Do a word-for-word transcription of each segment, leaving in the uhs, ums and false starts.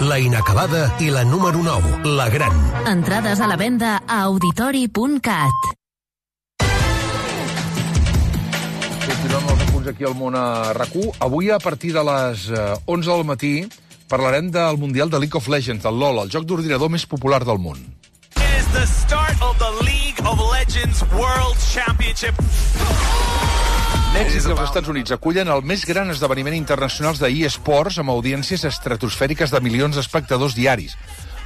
la inacabada i la número nou, la gran. Entrades a la venda a auditori punt cat. Continuem els apunts aquí al món a RAC u. Avui, a partir de les onze del matí, parlarem del Mundial de League of Legends, del LOL, el joc d'ordinador més popular del món. Is the start of the League of Legends World Championship. Mèxic i els Estats Units acullen el més gran esdeveniment internacional d'eSports amb audiències estratosfèriques de milions d'espectadors diaris.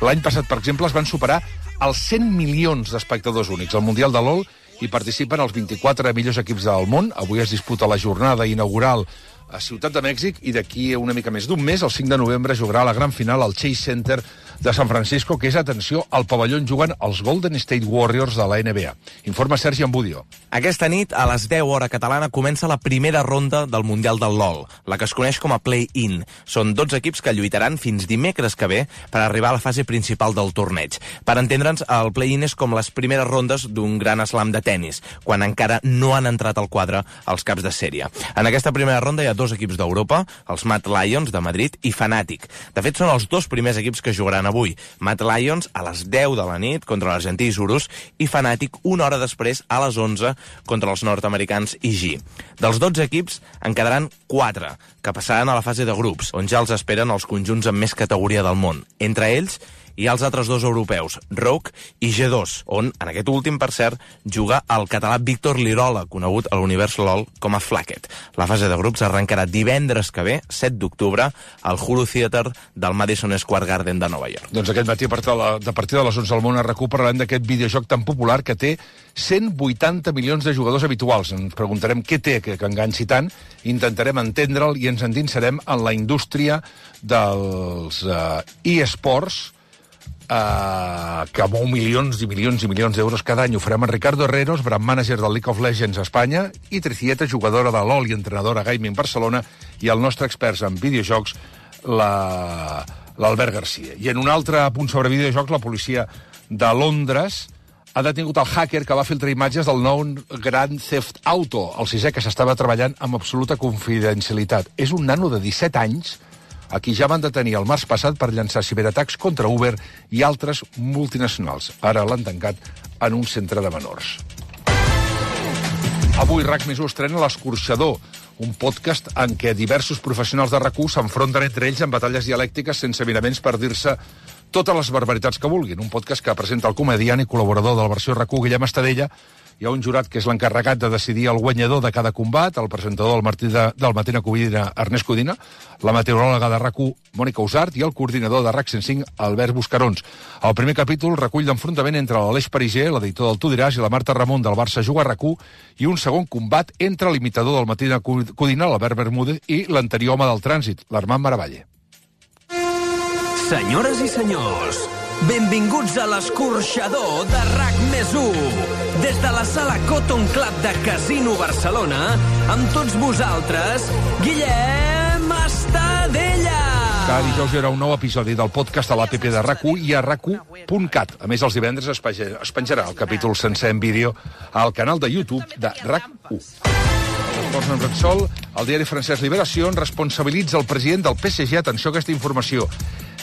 L'any passat, per exemple, es van superar els cent milions d'espectadors únics. Al Mundial de LOL hi participen els vint-i-quatre millors equips del món. Avui es disputa la jornada inaugural a Ciutat de Mèxic i d'aquí una mica més d'un mes, el cinc de novembre, jugarà la gran final al Chase Center de San Francisco, que és, atenció, al pavelló on juguen els Golden State Warriors de la N B A. Informa Sergi Ambudio. Aquesta nit, a les deu hora catalana, comença la primera ronda del Mundial del LOL, la que es coneix com a Play-In. Són dotze equips que lluitaran fins dimecres que ve per arribar a la fase principal del torneig. Per entendre'ns, el Play-In és com les primeres rondes d'un gran slam de tennis, quan encara no han entrat al quadre els caps de sèrie. En aquesta primera ronda hi ha dos equips d'Europa, els Mad Lions de Madrid i Fnatic. De fet, són els dos primers equips que jugaran avui. Mad Lions a les deu de la nit contra l'Argentí Isurus i Fnatic una hora després a les onze contra els nord-americans I G. Dels dotze equips en quedaran quatre, que passaran a la fase de grups, on ja els esperen els conjunts amb més categoria del món. Entre ells hi ha els altres dos europeus, Rogue i G dos, on, en aquest últim, per cert, juga el català Víctor Lirola, conegut a l'univers LOL com a Flacket. La fase de grups arrencarà divendres que ve, set d'octubre, al Hulu Theater del Madison Square Garden de Nova York. Doncs aquest matí, a partir de, la, de partir de les onze del món a RAC u, parlarem d'aquest videojoc tan popular que té cent vuitanta milions de jugadors habituals. Ens preguntarem què té que, que enganxi tant, intentarem entendre'l i ens endinsarem en la indústria dels uh, eSports, Uh, que mou milions i milions i milions d'euros cada any. Ho farem amb Ricardo Herreros, brand manager del League of Legends a Espanya, i Tricieta, jugadora de LOL i entrenadora Gaming Barcelona, i el nostre expert en videojocs, la... l'Albert Garcia. I en un altre punt sobre videojocs, la policia de Londres ha detingut el hacker que va filtrar imatges del nou Grand Theft Auto, el sisè, que s'estava treballant amb absoluta confidencialitat. És un nano de disset anys a qui ja van detenir el març passat per llançar ciberatacs contra Uber i altres multinacionals. Ara l'han tancat en un centre de menors. Avui RAC més u estrena l'Escorxador, un podcast en què diversos professionals de RAC u s'enfronten entre ells en batalles dialèctiques sense miraments per dir-se totes les barbaritats que vulguin. Un podcast que presenta el comediant i col·laborador de la versió RAC u, Guillem Estadella. Hi ha un jurat que és l'encarregat de decidir el guanyador de cada combat, el presentador del, Martí de, del Matina Codina, Ernest Codina, la meteoròloga de RAC u, Mònica Usart, i el coordinador de RAC cent cinc, Albert Buscarons. El primer capítol recull l'enfrontament entre l'Aleix Pariser, l'editor del Tu diràs, i la Marta Ramon del Barça Juga a RAC u, i un segon combat entre l'imitador del Matina Codina, l'Albert Bermúdez, i l'anterior home del trànsit, l'Armand Maravalle. Senyores i senyors, benvinguts a l'Escorxador de RAC més u. Des de la sala Cotton Club de Casino Barcelona, amb tots vosaltres, Guillem Estadella. Cada dijous hi haurà un nou episodi del podcast a l'A P P de RAC u i a rac u punt cat. A més, els divendres es penjarà el capítol sencer en vídeo al canal de YouTube de RAC u. Esports en Repsol, el diari francès Libération responsabilitza el president del P S G, atenció a aquesta informació,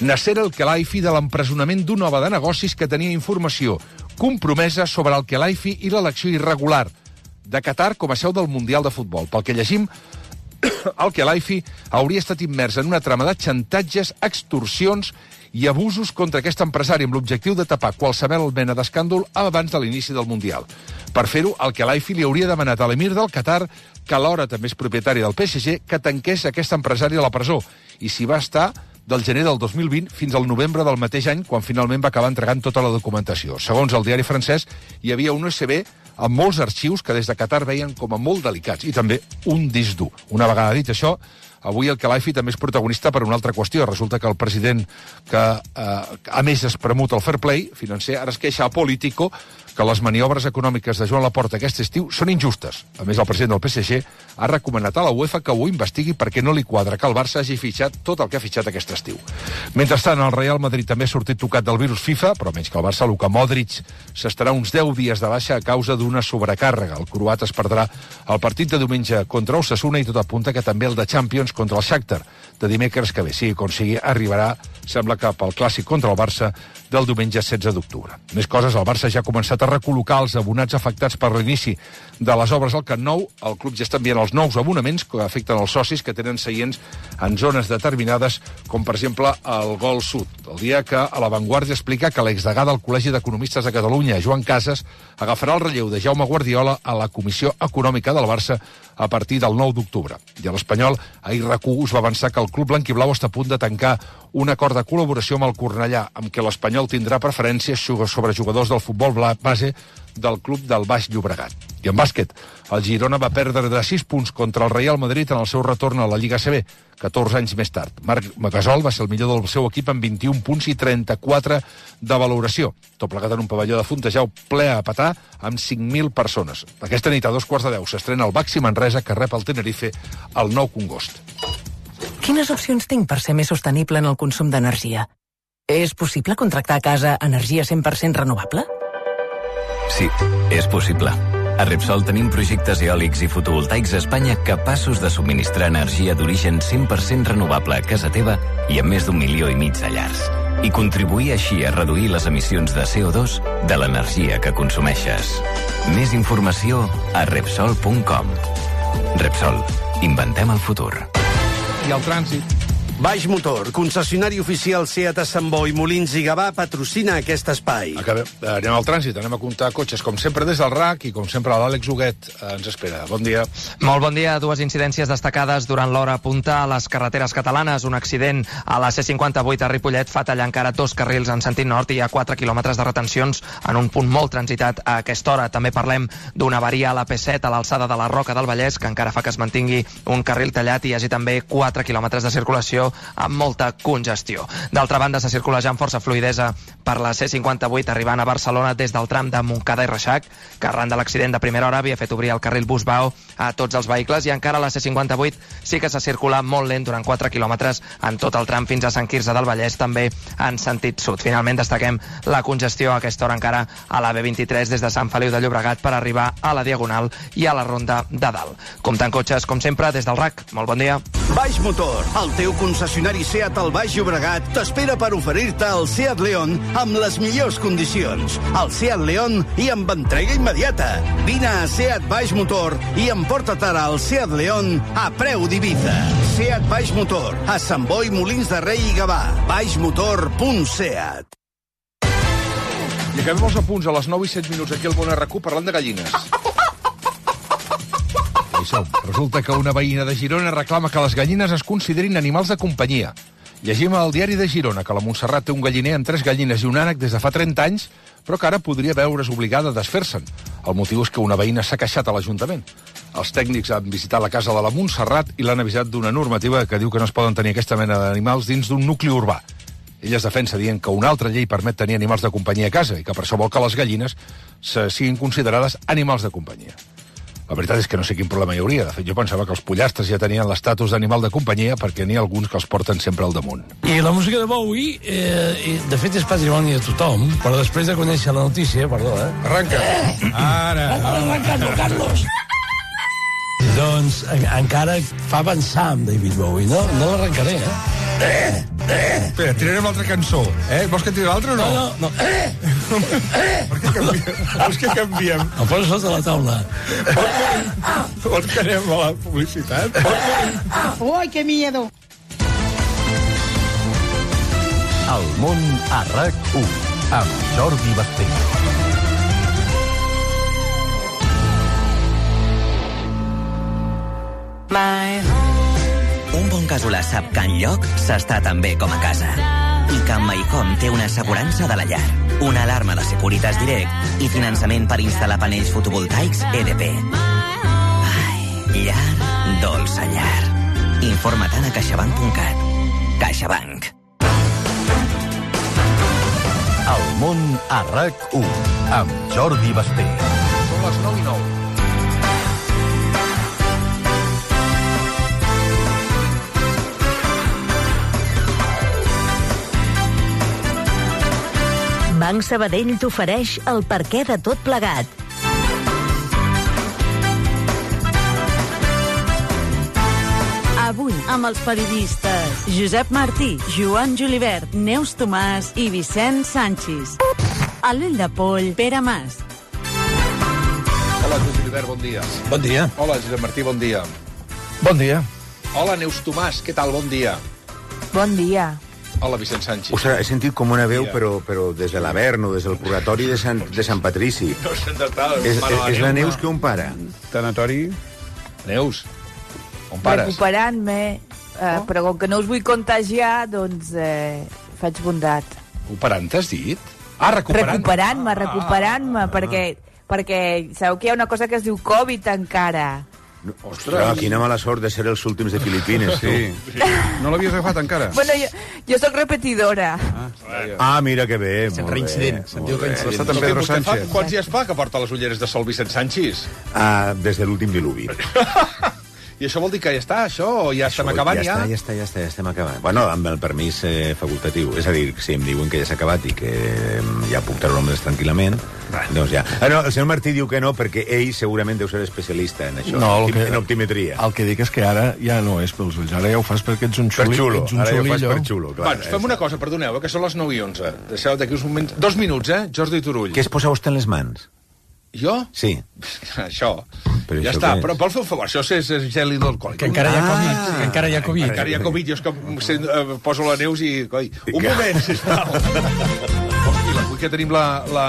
Nasser El-Khelaifi, de l'empresonament d'un home de negocis que tenia informació compromesa sobre el Khelaifi i l'elecció irregular de Qatar com a seu del Mundial de Futbol. Pel que llegim, el Khelaifi hauria estat immers en una trama de xantatges, extorsions i abusos contra aquest empresari amb l'objectiu de tapar qualsevol mena d'escàndol abans de l'inici del Mundial. Per fer-ho, el Khelaifi li hauria demanat a l'emir del Qatar, que alhora també és propietari del P S G, que tanqués aquest empresari a la presó, i s'hi va estar del gener del dos mil vint fins al novembre del mateix any, quan finalment va acabar entregant tota la documentació. Segons el diari francès, hi havia un U S B amb molts arxius que des de Qatar veien com a molt delicats, i també un disc dur. Una vegada dit això, avui el Khelaifi també és protagonista per una altra qüestió. Resulta que el president, que eh, a més es premut el fair play financer, ara es queixa a Político que les maniobres econòmiques de Joan Laporta aquest estiu són injustes. A més, el president del P S G ha recomanat a la UEFA que ho investigui perquè no li quadra que el Barça hagi fitxat tot el que ha fitxat aquest estiu. Mentrestant, el Real Madrid també ha sortit tocat del virus FIFA, però menys que el Barça, Luka Modric s'estarà uns deu dies de baixa a causa d'una sobrecàrrega. El croat es perdrà el partit de diumenge contra Osasuna i tot apunta que també el de Champions contra el Shakhtar de dimecres que ve. Sigui com sigui, arribarà, sembla que pel clàssic contra el Barça del diumenge setze d'octubre. Més coses, el Barça ja ha començat a recol·locar els abonats afectats per l'inici de les obres al Camp Nou. El club ja està enviant els nous abonaments que afecten els socis que tenen seients en zones determinades, com per exemple el Gol Sud. El dia que a La Vanguardia explica que l'exdegà del Col·legi d'Economistes de Catalunya, Joan Casas, agafarà el relleu de Jaume Guardiola a la Comissió Econòmica del Barça a partir del nou d'octubre. I a l'Espanyol, ahir RAC u us va avançar que el club blanquiblau està a punt de tancar un acord de col·laboració amb el Cornellà, amb què l'Espanyol tindrà preferències sobre jugadors del futbol base del club del Baix Llobregat. I en bàsquet, el Girona va perdre de sis punts contra el Real Madrid en el seu retorn a la Lliga A C B, catorze anys més tard. Marc Gasol va ser el millor del seu equip amb vint-i-un punts i trenta-quatre de valoració. Tot plegat en un pavelló de Fontejau ple a petar amb cinc mil persones. Aquesta nit a dos quarts de deu s'estrena el Baxi Manresa, que rep el Tenerife al Nou Congost. Quines opcions tinc per ser més sostenible en el consum d'energia? És possible contractar a casa energia cent per cent renovable? Sí, és possible. A Repsol tenim projectes eòlics i fotovoltaics a Espanya capaços de subministrar energia d'origen cent per cent renovable a casa teva i a més d'un milió i mig de llars. I contribuir així a reduir les emissions de C O dos de l'energia que consumeixes. Més informació a Repsol punt com. Repsol. Inventem el futur. I el trànsit. Baix Motor, concessionari oficial SEAT a Sant Boi, Molins i Gavà, patrocina aquest espai. Acabem. Anem al trànsit, anem a comptar cotxes, com sempre des del RAC, i com sempre l'Àlex Huguet ens espera. Bon dia. Molt bon dia. Dues incidències destacades durant l'hora punta a les carreteres catalanes. Un accident a la C cinquanta-vuit a Ripollet fa tallar encara dos carrils en sentit nord i hi ha quatre quilòmetres de retencions en un punt molt transitat a aquesta hora. També parlem d'una avaria a la P set a l'alçada de la Roca del Vallès, que encara fa que es mantingui un carril tallat i hi hagi també quatre quilòmetres de circulació amb molta congestió. D'altra banda, se circula ja amb força fluidesa per la C cinquanta-vuit arribant a Barcelona des del tram de Montcada i Reixac, que arran de l'accident de primera hora havia fet obrir el carril Busbao a tots els vehicles, i encara la C cinquanta-vuit sí que se circula molt lent durant quatre quilòmetres en tot el tram fins a Sant Quirze del Vallès, també en sentit sud. Finalment destaquem la congestió a aquesta hora encara a la B vint-i-tres des de Sant Feliu de Llobregat per arribar a la Diagonal i a la Ronda de Dalt. Comptant cotxes, com sempre, des del RAC. Molt bon dia. Baix Motor, el teu concessionari SEAT al Baix Llobregat, t'espera per oferir-te el SEAT León amb les millors condicions. El SEAT León i amb entrega immediata. Vine a SEAT Baix Motor i emporta't ara el SEAT León a preu d'Ibiza. SEAT Baix Motor, a Sant Boi, Molins de Rei i Gavà. baixmotor punt seat. I acabem els apunts a les nou i set minuts aquí al Bon R Q parlant de gallines. Resulta que una veïna de Girona reclama que les gallines es considerin animals de companyia. Llegim al diari de Girona que la Montserrat té un galliner amb tres gallines i un ànec des de fa trenta anys, però que ara podria veure's obligada a desfer-se'n. El motiu és que una veïna s'ha queixat a l'Ajuntament. Els tècnics han visitat la casa de la Montserrat i l'han avisat d'una normativa que diu que no es poden tenir aquesta mena d'animals dins d'un nucli urbà. Ella es defensa dient que una altra llei permet tenir animals de companyia a casa i que per això vol que les gallines se siguin considerades animals de companyia. La veritat és que no sé quin problema hi hauria. De fet, jo pensava que els pollastres ja tenien l'estatus d'animal de companyia perquè n'hi ha alguns que els porten sempre al damunt. I la música de Bowie, eh, de fet, és patrimoni de tothom, però després de conèixer la notícia, perdó, eh? Arranca. Eh. Ara. Arranca-lo, Carlos. Doncs en, encara fa pensar amb David Bowie, no? No l'arrencaré, eh? Eh, eh. Espera, tirarem l'altra cançó. Eh? Vols que tiri l'altra o no? No, no, no. Eh, eh. Per què canviem? Vols que canviem? Em poso sota la taula. Vols que anem a la publicitat? Ui, que miedo. El món a RAC u amb Jordi Basté. My home. Un bon casolà sap que enlloc s'està tan bé com a casa. I que MyHome té una assegurança de la llar, una alarma de Securitas Direct i finançament per instal·lar panells fotovoltaics E D P. Ai, llar, dolça llar. Informa-te'n a caixabank punt cat. CaixaBank. El món a RAC u amb Jordi Basté. Són les nou i nou. Banc Sabadell t'ofereix el perquè de tot plegat. Avui, amb els periodistes Josep Martí, Joan Julivert, Neus Tomàs i Vicent Sanchis. A l'ull de poll, Pere Mas. Hola, Joan Julivert, bon dia. Bon dia. Hola, Josep Martí, bon dia. Bon dia. Hola, Neus Tomàs, què tal? Bon dia. Bon dia. Hola, Vicent Sanchis. O sigui, he sentit com una veu, però, però des de l'Avern o des del purgatori de Sant, de Sant Patrici. No sé de tal. És, és la Neus que on para? Tanatori. Neus, on pares? Recuperant-me, eh, oh. però com que no us vull contagiar, doncs eh, faig bondat. Recuperant, t'has dit? Ah, recuperant. Recuperant-me, recuperant-me, ah, perquè, perquè sabeu que hi ha una cosa que es diu Covid encara. No, ostres, quina mala sort de ser els últims de Filipines, tu. Sí, sí. No l'havies agafat encara? Bueno, jo, jo sóc repetidora. Ah, ah, mira que bé, molt reincident. bé. Se'n diu reincident. Està en Pedro Sánchez. Quants dies fa que porta les ulleres de sol Vicent Sanchis? Ah, des de l'últim diluvi. I això vol dir que ja està, això? O ja això, estem acabant, ja? Ja està, ja està, ja estem acabant. Bueno, amb el permís eh, facultatiu. És a dir, si em diuen que ja s'ha acabat i que eh, ja puc treure-me'ls tranquil·lament, doncs ja. Ah, no, el senyor Martí diu que no, perquè ell segurament deu ser especialista en això, no, en, que, en optimetria. El que dic és que ara ja no és pels ulls, ara ja ho fas perquè ets un xuli. Per xulo, ets un ara ja ho fas xulillo. per xulo, clar. Bueno, fem una cosa, perdoneu, que són les nou i onze. Deixeu d'aquí uns moments... Dos minuts, eh? Jordi Turull. Què es posa vostè en les mans? Jo? Sí. Això. Però ja això està, és? però vol fer un favor, això és, és gel hidroalcohòlic. Que encara hi ha Covid. Ah, que encara hi ha Covid. Encara hi ha Covid, jo és que sent, uh, poso la Neus i... Coi, un moment, sisplau. Tranquil·la, avui que tenim la, la...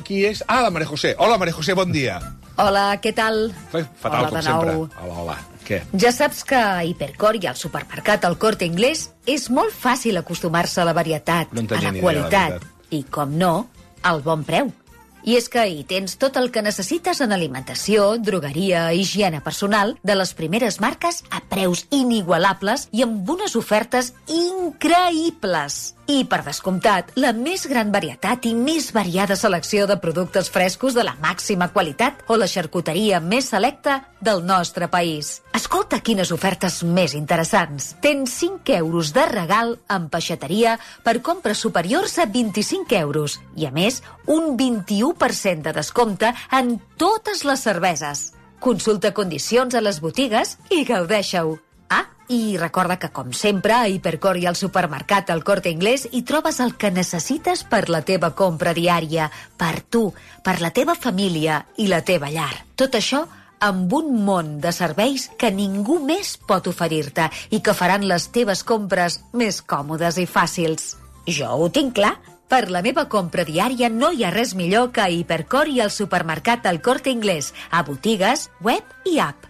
Qui és? Ah, la Maria José. Hola, Maria José, bon dia. Hola, què tal? Fatal, hola, com sempre. Hola, hola. Què? Ja saps que a Hipercor i al supermercat El Corte Inglés és molt fàcil acostumar-se a la varietat, no a la qualitat i, com no, al bon preu. I és que hi tens tot el que necessites en alimentació, drogueria, higiene personal, de les primeres marques a preus inigualables i amb unes ofertes increïbles. I, per descomptat, la més gran varietat i més variada selecció de productes frescos de la màxima qualitat o la xarcuteria més selecta del nostre país. Escolta quines ofertes més interessants. Tens cinc euros de regal en peixateria per compres superiors a vint-i-cinc euros i, a més, un vint-i-u per cent de descompte en totes les cerveses. Consulta condicions a les botigues i gaudeixeu. Ah, i recorda que, com sempre, a Hipercor i al supermercat El Corte Inglés hi trobes el que necessites per la teva compra diària, per tu, per la teva família i la teva llar. Tot això amb un món de serveis que ningú més pot oferir-te i que faran les teves compres més còmodes i fàcils. Jo ho tinc clar. Per la meva compra diària no hi ha res millor que a Hipercor i al supermercat El Corte Inglés, a botigues, web i app.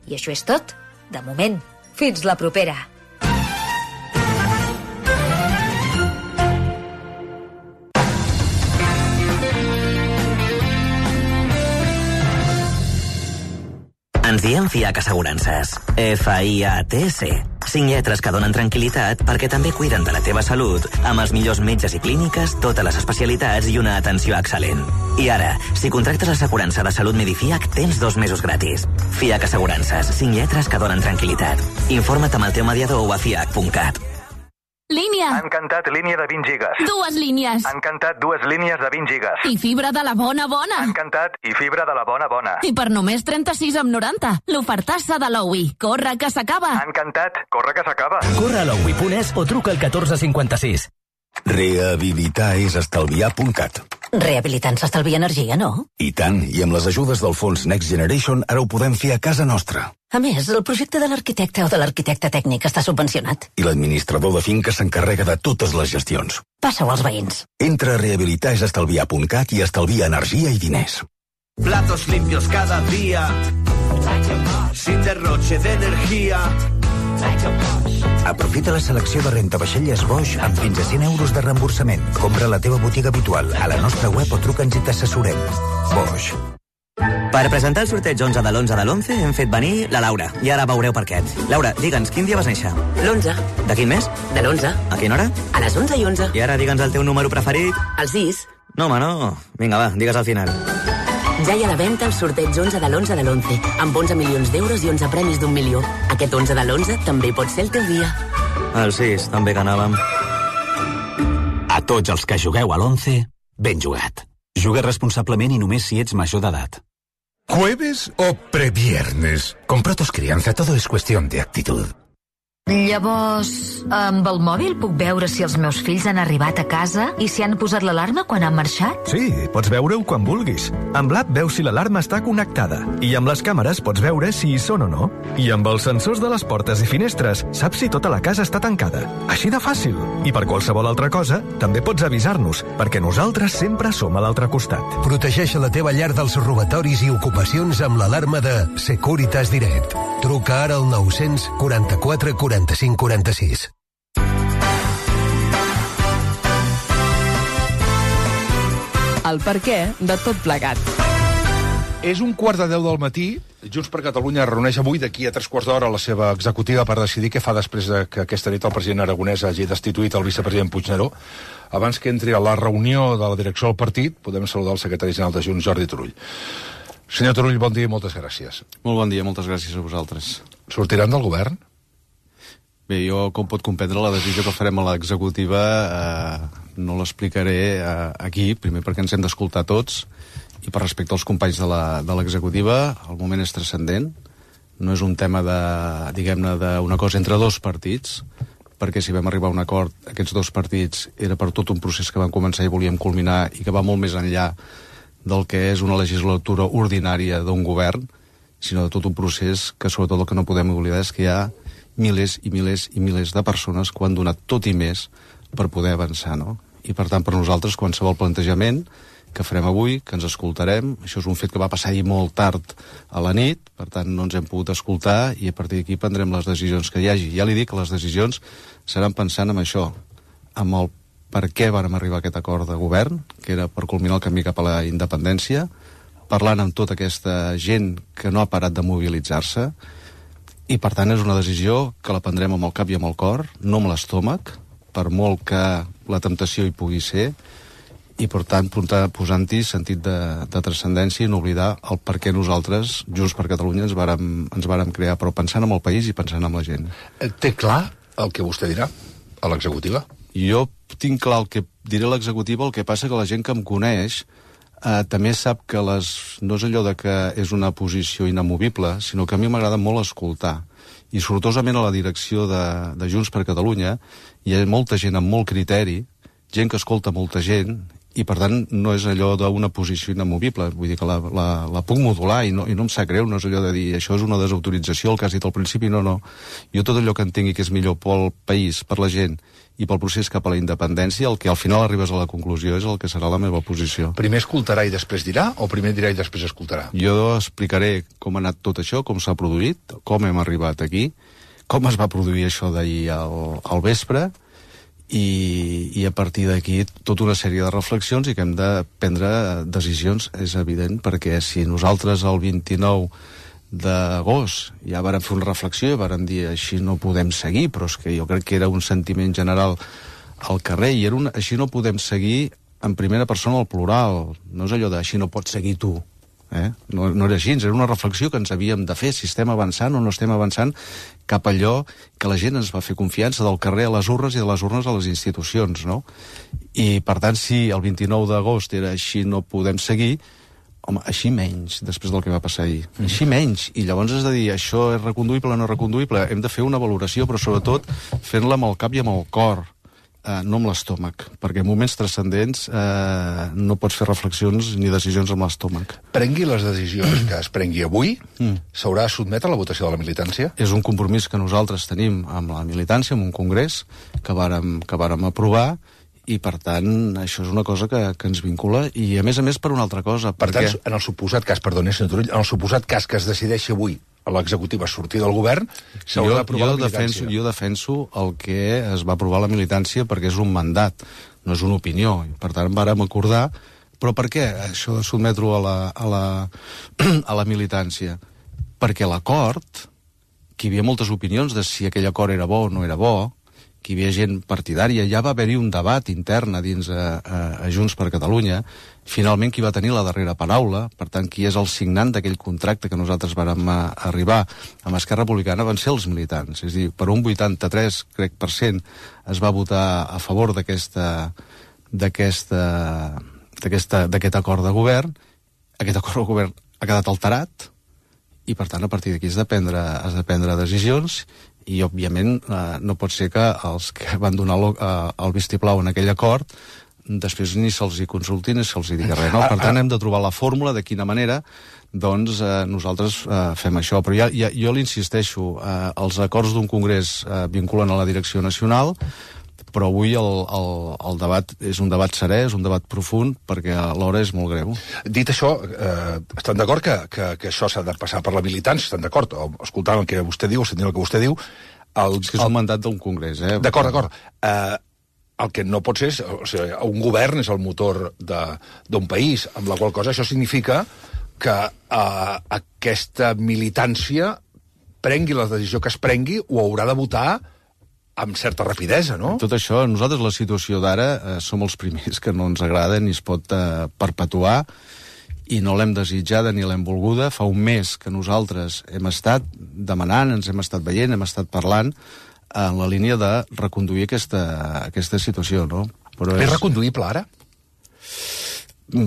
I això és tot, de moment. Fins la propera. Ens diem Fiac Assegurances. F I A T C. Cinc lletres que donen tranquil·litat perquè també cuiden de la teva salut amb els millors metges i clíniques, totes les especialitats i una atenció excel·lent. I ara, si contractes l'assegurança de salut Medifiac, tens dos mesos gratis. Fiac Assegurances. Cinc lletres que donen tranquil·litat. Informa't amb el teu mediador o a fiac punt cat. Línia. Han cantat línia de vint gigas. Dues línies. Han cantat dues línies de vint gigas. I fibra de la bona bona. Han cantat i fibra de la bona bona. I per només trenta-sis amb noranta. L'ofertassa de l'Oui. Corre, que s'acaba. Han cantat. Corre, que s'acaba. Corre a l'oui punt es o truca al catorze cinquanta-sis. Rehabilitar és estalviar punt cat. Rehabilitant s'estalvia energia, no? I tant, i amb les ajudes del fons Next Generation ara ho podem fer a casa nostra. A més, el projecte de l'arquitecte o de l'arquitecte tècnic està subvencionat. I l'administrador de finca s'encarrega de totes les gestions. Passa-ho als veïns. Entra a rehabilitar és estalviar punt cat i estalvia energia i diners. Platos limpios cada día, sin derroche de energía. Aprofita la selecció de rentavaixelles Bosch amb fins a cent euros de reemborsament. Compra a la teva botiga habitual, a la nostra web o truca'ns i t'assessorem. Bosch. Per presentar el sorteig onze de l'onze de l'onze hem fet venir la Laura. I ara veureu per què. Laura, digue'ns, quin dia vas néixer? L'onze. De quin mes? De l'onze. A quina hora? A les onze i onze. I ara digue'ns el teu número preferit. El sis. No, home, no. Vinga, va, digues al final. Ja hi ha a la venda el sorteig onze de l'onze de l'onze, amb onze milions d'euros i onze premis d'un milió. Aquest onze de l'onze també pot ser el teu dia. El sis, també que anàvem. A tots els que jugueu a l'onze, ben jugat. Juga responsablement i només si ets major d'edat. ¿Jueves o previernes? Con Protos Crianza todo es cuestión de actitud. Llavors, amb el mòbil puc veure si els meus fills han arribat a casa i si han posat l'alarma quan han marxat? Sí, pots veure-ho quan vulguis. Amb l'app veus si l'alarma està connectada i amb les càmeres pots veure si hi són o no. I amb els sensors de les portes i finestres saps si tota la casa està tancada. Així de fàcil. I per qualsevol altra cosa, també pots avisar-nos, perquè nosaltres sempre som a l'altre costat. Protegeix la teva llar dels robatoris i ocupacions amb l'alarma de Securitas Direct. Truca ara al nou-cents quaranta-quatre quaranta-cinc quaranta-sis. El perquè de tot plegat. És un quart de deu del matí. Junts per Catalunya reuneix avui d'aquí a tres quarts d'hora la seva executiva per decidir què fa després de que aquesta nit el president aragonès hagi destituït el vicepresident Puigneró. Abans que entri a la reunió de la direcció del partit, podem saludar el secretari general de Junts, Jordi Turull. Senyor Turull, bon dia i moltes gràcies. Molt bon dia, moltes gràcies a vosaltres. Sortiran del govern? Bé, jo, com pot comprendre, la decisió que farem a l'executiva eh, no l'explicaré eh, aquí, primer perquè ens hem d'escoltar tots, i per respecte als companys de l'executiva, el moment és transcendent. No és un tema de, diguem-ne, d'una cosa entre dos partits, perquè si vam arribar a un acord, aquests dos partits era per tot un procés que vam començar i volíem culminar i que va molt més enllà del que és una legislatura ordinària d'un govern, sinó de tot un procés que sobretot el que no podem oblidar és que hi ha milers i milers i milers de persones que ho han donat tot i més per poder avançar, no? I per tant, per nosaltres, qualsevol plantejament que farem avui, que ens escoltarem, això és un fet que va passar ahir molt tard a la nit, per tant no ens hem pogut escoltar i a partir d'aquí prendrem les decisions que hi hagi. Ja li dic que les decisions seran pensant en això, amb el per què vàrem arribar a aquest acord de govern, que era per culminar el camí cap a la independència, parlant amb tota aquesta gent que no ha parat de mobilitzar-se, i per tant és una decisió que la prendrem amb el cap i amb el cor, no amb l'estómac, per molt que la temptació hi pugui ser, i per tant posant-hi sentit de, de transcendència i no oblidar el per què nosaltres, Junts per Catalunya, ens vàrem, ens vàrem crear, però pensant en el país i pensant en la gent. Té clar el que vostè dirà a l'executiva? Jo tinc clar el que diré a l'executiva, el que passa que la gent que em coneix eh, també sap que les, no és allò de que és una posició inamovible, sinó que a mi m'agrada molt escoltar. I sortosament a la direcció de, de Junts per Catalunya hi ha molta gent amb molt criteri, gent que escolta molta gent, i per tant no és allò d'una posició inamovible, vull dir que la, la, la puc modular i no, i no em sap greu, no és allò de dir això és una desautorització, el que has dit al principi, no, no. Jo tot allò que entenc que és millor pel país, per la gent i pel procés cap a la independència, el que al final arribes a la conclusió és el que serà la meva posició. Primer escoltarà i després dirà, o primer dirà i després escoltarà? Jo explicaré com ha anat tot això, com s'ha produït, com hem arribat aquí, com es va produir això d'ahir al, al vespre, i, i a partir d'aquí tota una sèrie de reflexions i que hem de prendre decisions, és evident, perquè si nosaltres el vint-i-nou d'agost ja vàrem fer una reflexió i vàrem dir així no podem seguir, però és que jo crec que era un sentiment general al carrer i era un, així no podem seguir en primera persona al plural, no és allò de així no pots seguir tu. Eh? No, no era així, era una reflexió que ens havíem de fer, si estem avançant o no estem avançant cap a allò que la gent ens va fer confiança del carrer a les urnes i de les urnes a les institucions, no? I per tant, si el vint-i-nou d'agost era així no podem seguir, home, així menys, després del que va passar ahir. Mm. Així menys, i llavors has de dir això és reconduïble o no reconduïble, hem de fer una valoració, però sobretot fent-la amb el cap i amb el cor, Uh, no amb l'estómac, perquè en moments transcendents uh, no pots fer reflexions ni decisions amb l'estómac. Prengui les decisions que es prengui avui, mm. s'haurà de sotmetre a la votació de la militància? És un compromís que nosaltres tenim amb la militància, amb un congrés que vàrem, que vàrem aprovar, i per tant això és una cosa que, que ens vincula, i a més a més per una altra cosa. Per perquè... tant, en el suposat cas, perdoni, senyor Turull, en el suposat cas que es decideixi avui a l'executiva sortir del govern, s'haurà d'aprovar la militància. Defenso, jo defenso el que es va aprovar la militància perquè és un mandat, no és una opinió. I per tant, vàrem acordar. Però per què això de sotmetre-ho a la, a la, a la militància? Perquè l'acord, que hi havia moltes opinions de si aquell acord era bo o no era bo, que hi havia gent partidària, ja va haver-hi un debat intern a dins a, a, a Junts per Catalunya. Finalment, qui va tenir la darrera paraula, per tant, qui és el signant d'aquell contracte que nosaltres vàrem arribar amb Esquerra Republicana, van ser els militants. És a dir, per un vuitanta-tres, crec, per cent es va votar a favor d'aquesta d'aquesta d'aquesta d'aquest acord de govern. Aquest acord de govern ha quedat alterat i per tant a partir d'aquí has de prendre, has de prendre decisions i òbviament eh, no pot ser que els que van donar el, eh, el vistiplau en aquell acord després ni se'ls hi consulti ni se'ls hi digui res, no? Per tant hem de trobar la fórmula de quina manera doncs eh, nosaltres eh, fem això, però ja, ja, jo l'insisteixo, eh, els acords d'un congrés eh, vinculen a la direcció nacional, però avui el, el, el debat és un debat serè, és un debat profund, perquè l'hora és molt greu. Dit això, eh, estan d'acord que, que, que això s'ha de passar per la militància? Estan d'acord? Escoltant el que vostè diu, sentint el que vostè diu... El, és que és un mandat d'un congrés, eh? D'acord, d'acord. Eh, el que no pot ser és... O sigui, un govern és el motor d'un país, amb la qual cosa això significa que eh, aquesta militància prengui la decisió que es prengui o haurà de votar amb certa rapidesa, no? Tot això, nosaltres la situació d'ara eh, som els primers que no ens agrada ni es pot eh, perpetuar i no l'hem desitjada ni l'hem volguda. Fa un mes que nosaltres hem estat demanant, ens hem estat veient, hem estat parlant en la línia de reconduir aquesta, aquesta situació, no? Però és... és reconduïble ara?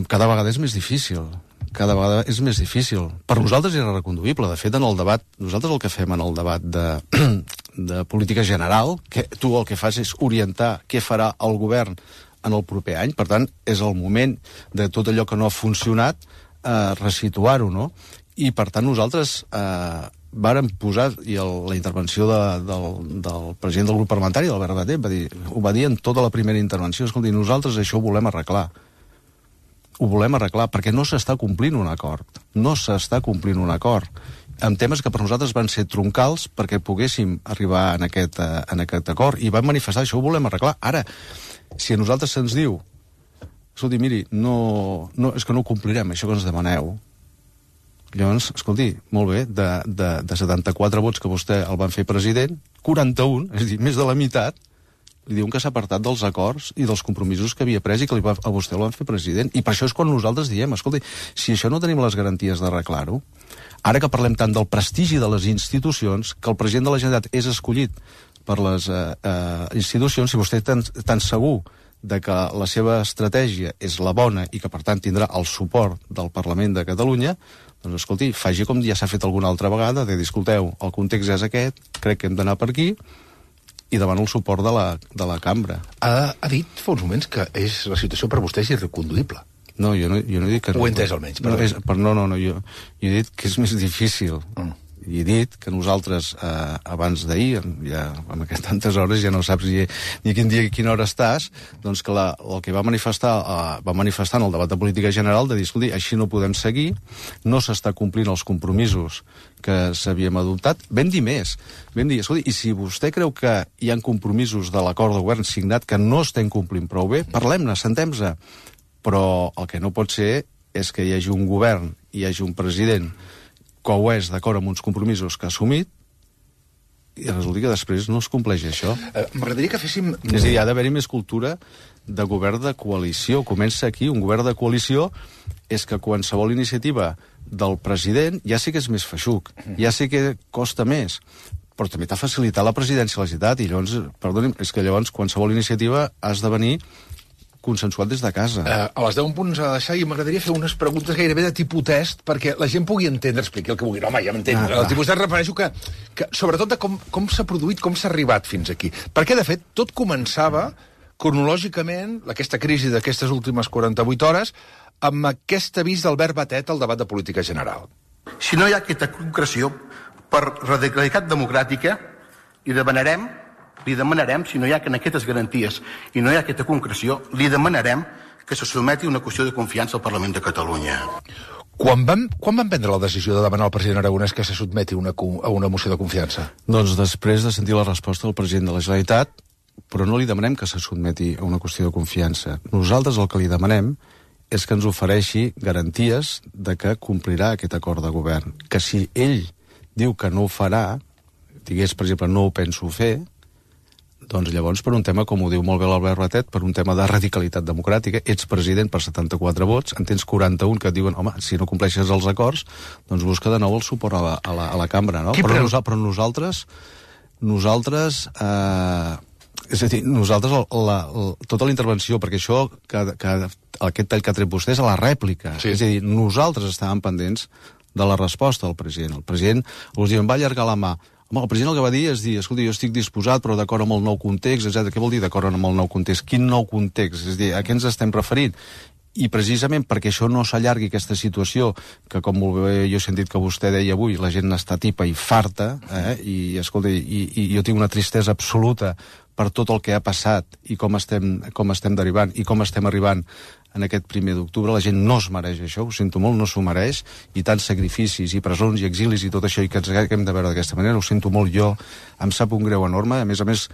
Cada vegada és més difícil. Cada vegada és més difícil. Per nosaltres era reconduïble. De fet, en el debat, nosaltres el que fem en el debat de, de política general, que tu el que fas és orientar què farà el govern en el proper any. Per tant, és el moment de tot allò que no ha funcionat, eh, resituar-ho, no? I, per tant, nosaltres eh, vàrem posar, i el, la intervenció de, del, del president del grup parlamentari, d'Albert Batet, va dir, ho va dir en tota la primera intervenció, escolti, nosaltres això ho volem arreglar. Ho volem arreglar, perquè no s'està complint un acord. No s'està complint un acord. Amb temes que per nosaltres van ser troncals perquè poguéssim arribar en aquest, uh, en aquest acord. I vam manifestar, això ho volem arreglar. Ara, si a nosaltres se'ns diu, escolti, miri, no, no, és que no ho complirem, això que ens demaneu. Llavors, escolti, molt bé, de, de, de setanta-quatre vots que vostè el van fer president, quaranta-un, és a dir, més de la meitat, li diuen que s'ha apartat dels acords i dels compromisos que havia pres i que li va, a vostè el van fer president. I per això és quan nosaltres diem, escolti, si això no tenim les garanties d'arreglar-ho, ara que parlem tant del prestigi de les institucions, que el president de la Generalitat és escollit per les eh, eh, institucions, si vostè és tan, tan segur de que la seva estratègia és la bona i que, per tant, tindrà el suport del Parlament de Catalunya, doncs, escolti, faci com ja s'ha fet alguna altra vegada, de dir, escolteu, el context és aquest, crec que hem d'anar per aquí, i demano el suport de la, de la cambra. Ha, ha dit fa uns moments que és, la situació per vostè és irreconduïble. No, jo no, jo no he dit que... Ho he entès almenys. No, és, per, no, no, no jo, jo he dit que és més difícil. Mm. I he dit que nosaltres, eh, abans d'ahir, ja amb aquestes tantes hores, ja no saps ni, ni quin dia i quina hora estàs, doncs que la, el que va manifestar, eh, va manifestar en el debat de política general de dir, escolti, així no podem seguir, no s'està complint els compromisos que s'havíem adoptat. Vam dir més. Vam dir, escolti, i si vostè creu que hi ha compromisos de l'acord de govern signat que no estem complint prou bé, parlem-ne, sentem-se. Però el que no pot ser és que hi hagi un govern, hi hagi un president que ho és d'acord amb uns compromisos que ha assumit i resulta que després no es compleix això. Uh, M'agradaria que féssim... És a dir, ha d'haver-hi més cultura de govern de coalició. Comença aquí, un govern de coalició és que qualsevol iniciativa del president ja sí que és més feixuc, ja sí que costa més, però també t'ha facilitat la presidència de la Generalitat i llavors, perdoni, és que llavors qualsevol iniciativa has de venir consensuat des de casa. Uh, a les deu punts a deixar i m'agradaria fer unes preguntes gairebé de tipus test perquè la gent pugui entendre, expliqui el que vulgui. Home, ja m'entenc. Ah, el tipus test refereixo que, que sobretot de com, com s'ha produït, com s'ha arribat fins aquí. Perquè, de fet, tot començava cronològicament, aquesta crisi d'aquestes últimes quaranta-vuit hores, amb aquest avís d'Albert Batet al debat de política general. Si no hi ha aquesta concreció per radicalitat democràtica, li demanarem li demanarem, si no hi ha aquestes garanties i no hi ha aquesta concreció, li demanarem que se sotmeti una qüestió de confiança al Parlament de Catalunya. Quan van, quan van prendre la decisió de demanar al president Aragonès que se sotmeti una, a una moció de confiança? Doncs després de sentir la resposta del president de la Generalitat, però no li demanem que se sotmeti a una qüestió de confiança. Nosaltres el que li demanem és que ens ofereixi garanties de que complirà aquest acord de govern. Que si ell diu que no ho farà, digués, per exemple, no ho penso fer, doncs llavors per un tema, com ho diu molt bé l'Albert Batet, per un tema de radicalitat democràtica, ets president per setanta-quatre vots, en tens quaranta-un que et diuen, home, si no compleixes els acords, doncs busca de nou el suport a la, a la, a la cambra, no? Però, nos, però nosaltres, nosaltres, eh, és a dir, nosaltres, la, la, tota la intervenció, perquè això, que, que, aquest tall que ha tret vostè és a la rèplica, sí. És a dir, nosaltres estàvem pendents de la resposta del president. El president us diu, em va allargar la mà. Home, el president el que va dir és dir, escolta, jo estic disposat, però d'acord amb el nou context, etcètera. Què vol dir d'acord amb el nou context? Quin nou context? És a dir, a què ens estem referint? I precisament perquè això no s'allargui aquesta situació, que com molt bé jo he sentit que vostè deia avui, la gent n'està tipa i farta, eh? I, escolta, i, i jo tinc una tristesa absoluta per tot el que ha passat i com estem, com estem derivant i com estem arribant en aquest primer d'octubre. La gent no es mereix això, ho sento molt, no s'ho mereix, i tants sacrificis i presons i exilis i tot això, i que ens haguem de veure d'aquesta manera, ho sento molt, jo em sap un greu enorme. A més a més,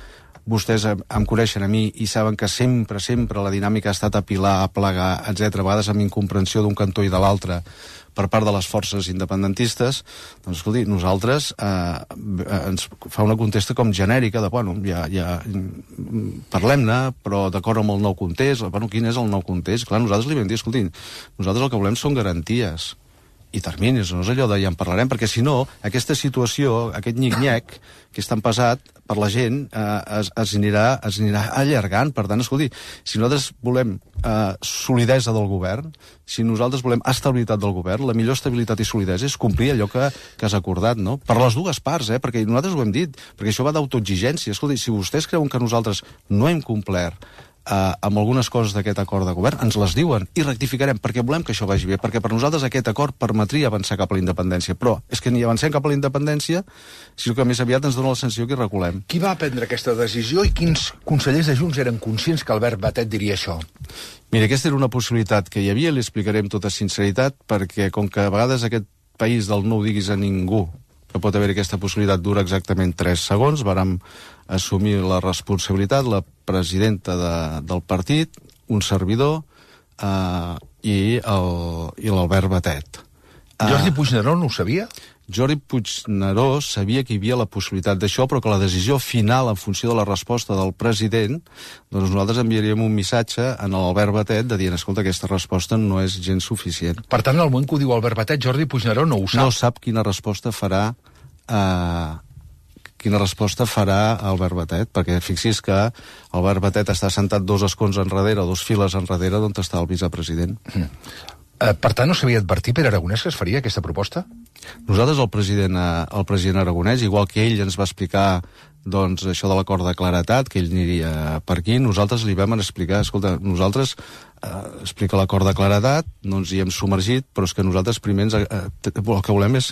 vostès em coneixen a mi i saben que sempre, sempre la dinàmica ha estat apilar, aplegar, etcètera, a vegades amb incomprensió d'un cantó i de l'altre per part de les forces independentistes. Doncs, escolti, nosaltres eh, ens fa una contesta com genèrica de, bueno, ja, ja parlem-ne, però d'acord amb el nou context. Bueno, quin és el nou context? Clar, nosaltres li vam dir, escolti, nosaltres el que volem són garanties i terminis, no és allò de ja en parlarem, perquè si no, aquesta situació, aquest nyic-nyac que és tan pesat per la gent, eh, es, es, anirà, es anirà allargant. Per tant, escolti, si nosaltres volem eh, solidesa del govern, si nosaltres volem estabilitat del govern, la millor estabilitat i solidesa és complir allò que, que has acordat, no? Per les dues parts, eh? Perquè nosaltres ho hem dit, perquè això va d'autoexigència. Escolti, si vostès creuen que nosaltres no hem complert Uh, amb algunes coses d'aquest acord de govern, ens les diuen i rectificarem, perquè volem que això vagi bé, perquè per nosaltres aquest acord permetria avançar cap a la independència, però és que ni avancem cap a la independència, sinó que més aviat ens dona la sensació que hi reculem. Qui va prendre aquesta decisió i quins consellers de Junts eren conscients que Albert Batet diria això? Mira, aquesta era una possibilitat que hi havia, li explicaré amb tota sinceritat, perquè com que a vegades aquest país del no ho diguis a ningú, que pot haver aquesta possibilitat, dura exactament tres segons, vàrem assumir la responsabilitat, la presidenta de, del partit, un servidor eh, i l'Albert Batet. Jordi Puigneró no ho sabia? Jordi Puigneró sabia que hi havia la possibilitat d'això, però que la decisió final, en funció de la resposta del president, doncs nosaltres enviaríem un missatge a l'Albert Batet de dir, escolta, aquesta resposta no és gens suficient. Per tant, al moment que ho diu Albert Batet, Jordi Puigneró no ho sap. No sap quina resposta farà eh, quina resposta farà Albert Batet, perquè fixis que Albert Batet està sentat dos escons enrere, dos files enrere, d'on està el vicepresident. Mm. Eh, per tant, no s'havia advertit per Aragonès que es faria aquesta proposta? Nosaltres, el president, el president Aragonès, igual que ell ens va explicar doncs, això de l'acord de claretat, que ell aniria per aquí, nosaltres li vam explicar, escolta, nosaltres eh, explica l'acord de claretat, no ens hi hem submergit, però és que nosaltres primer ens, eh, el que volem és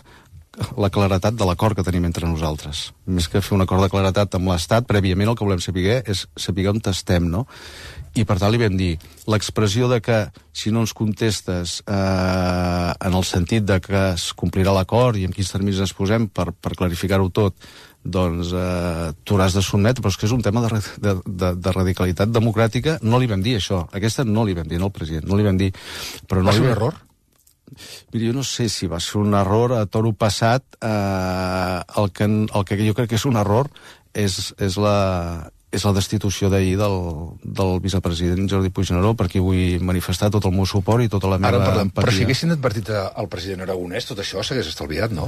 la claretat de l'acord que tenim entre nosaltres. Més que fer un acord de claretat amb l'Estat, prèviament el que volem saber és saber on estem, no? I per tant li vam dir, l'expressió de que si no ens contestes eh, en el sentit de que es complirà l'acord i en quins termes ens posem per, per clarificar-ho tot, doncs eh, tu hauràs de sotmetre, però és que és un tema de, de, de, de radicalitat democràtica. No li vam dir això, aquesta no li vam dir, no al president, no li vam dir. Però no va ser li... un error? Mira, jo no sé si va ser un error a toro passat. Eh, el, que, el que jo crec que és un error és, és la... és la destitució d'ahir del, del vicepresident Jordi Puigneró, perquè vull manifestar tot el meu suport i tota la meva Ara, empatia. Però si haguessin advertit al president Aragonès, tot això s'hagués estalviat, no?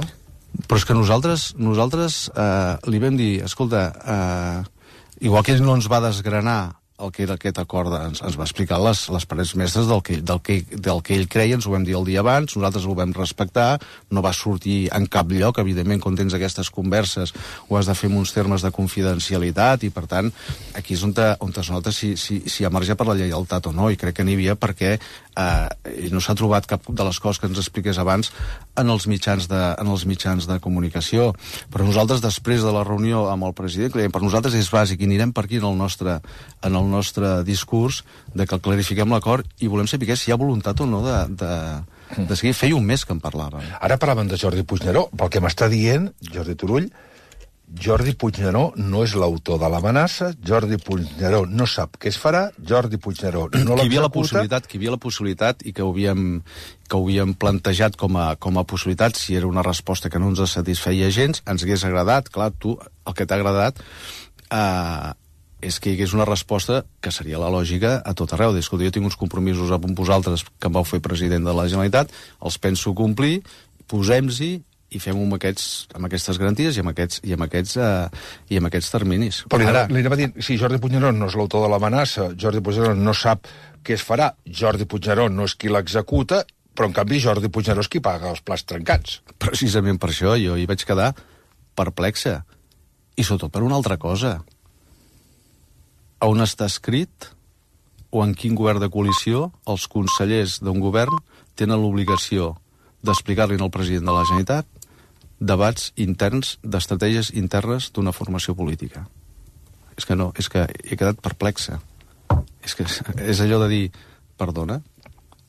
Però és que nosaltres, nosaltres eh, li vam dir, escolta, eh, igual que ell no ens va desgranar el que era aquest acord, ens, ens va explicar les, les parets mestres del que, del, que, del que ell creia, ens ho vam dir el dia abans, nosaltres ho vam respectar, no va sortir en cap lloc, evidentment, quan tens aquestes converses ho has de fer en uns termes de confidencialitat, i per tant, aquí és on, te, on es nota si, si, si emerge per la lleialtat o no, i crec que n'hi havia perquè eh, no s'ha trobat cap de les coses que ens expliqués abans en els mitjans de, en els mitjans de comunicació. Però nosaltres, després de la reunió amb el president, creiem, per nosaltres és bàsic, i anirem per aquí en el nostre, en el nostre discurs, de que clarifiquem l'acord i volem saber si hi ha voluntat o no de, de, de seguir. Feia un mes que en parlàvem. Ara parlaven de Jordi Puigneró. Pel que m'està dient, Jordi Turull, Jordi Puigneró no és l'autor de l'amenaça, Jordi Puigneró no sap què es farà, Jordi Puigneró no l'executa... Hi havia la possibilitat, que hi havia la possibilitat i que ho havíem, que ho havíem plantejat com a, com a possibilitat, si era una resposta que no ens satisfeia gens, ens hagués agradat, clar, tu, el que t'ha agradat, eh, és que hi hagués una resposta que seria la lògica a tot arreu. Escolta, jo tinc uns compromisos amb vosaltres que em vau fer president de la Generalitat, els penso complir, posem-hi i fem-ho amb, aquests, amb aquestes garanties i amb aquests, i amb aquests, uh, i amb aquests terminis. Però Ara... li anava a dir, si Jordi Puigneró no és l'autor de l'amenaça, Jordi Puigneró no sap què es farà, Jordi Puigneró no és qui l'executa, Però, en canvi, Jordi Puigneró és qui paga els plats trencats. Precisament per això, jo hi vaig quedar perplexa. I sobretot per una altra cosa. On està escrit o en quin govern de coalició els consellers d'un govern tenen l'obligació d'explicar-li al president de la Generalitat debats interns, d'estratègies internes d'una formació política. És que no, és que he quedat perplexa. És que és allò de dir, perdona,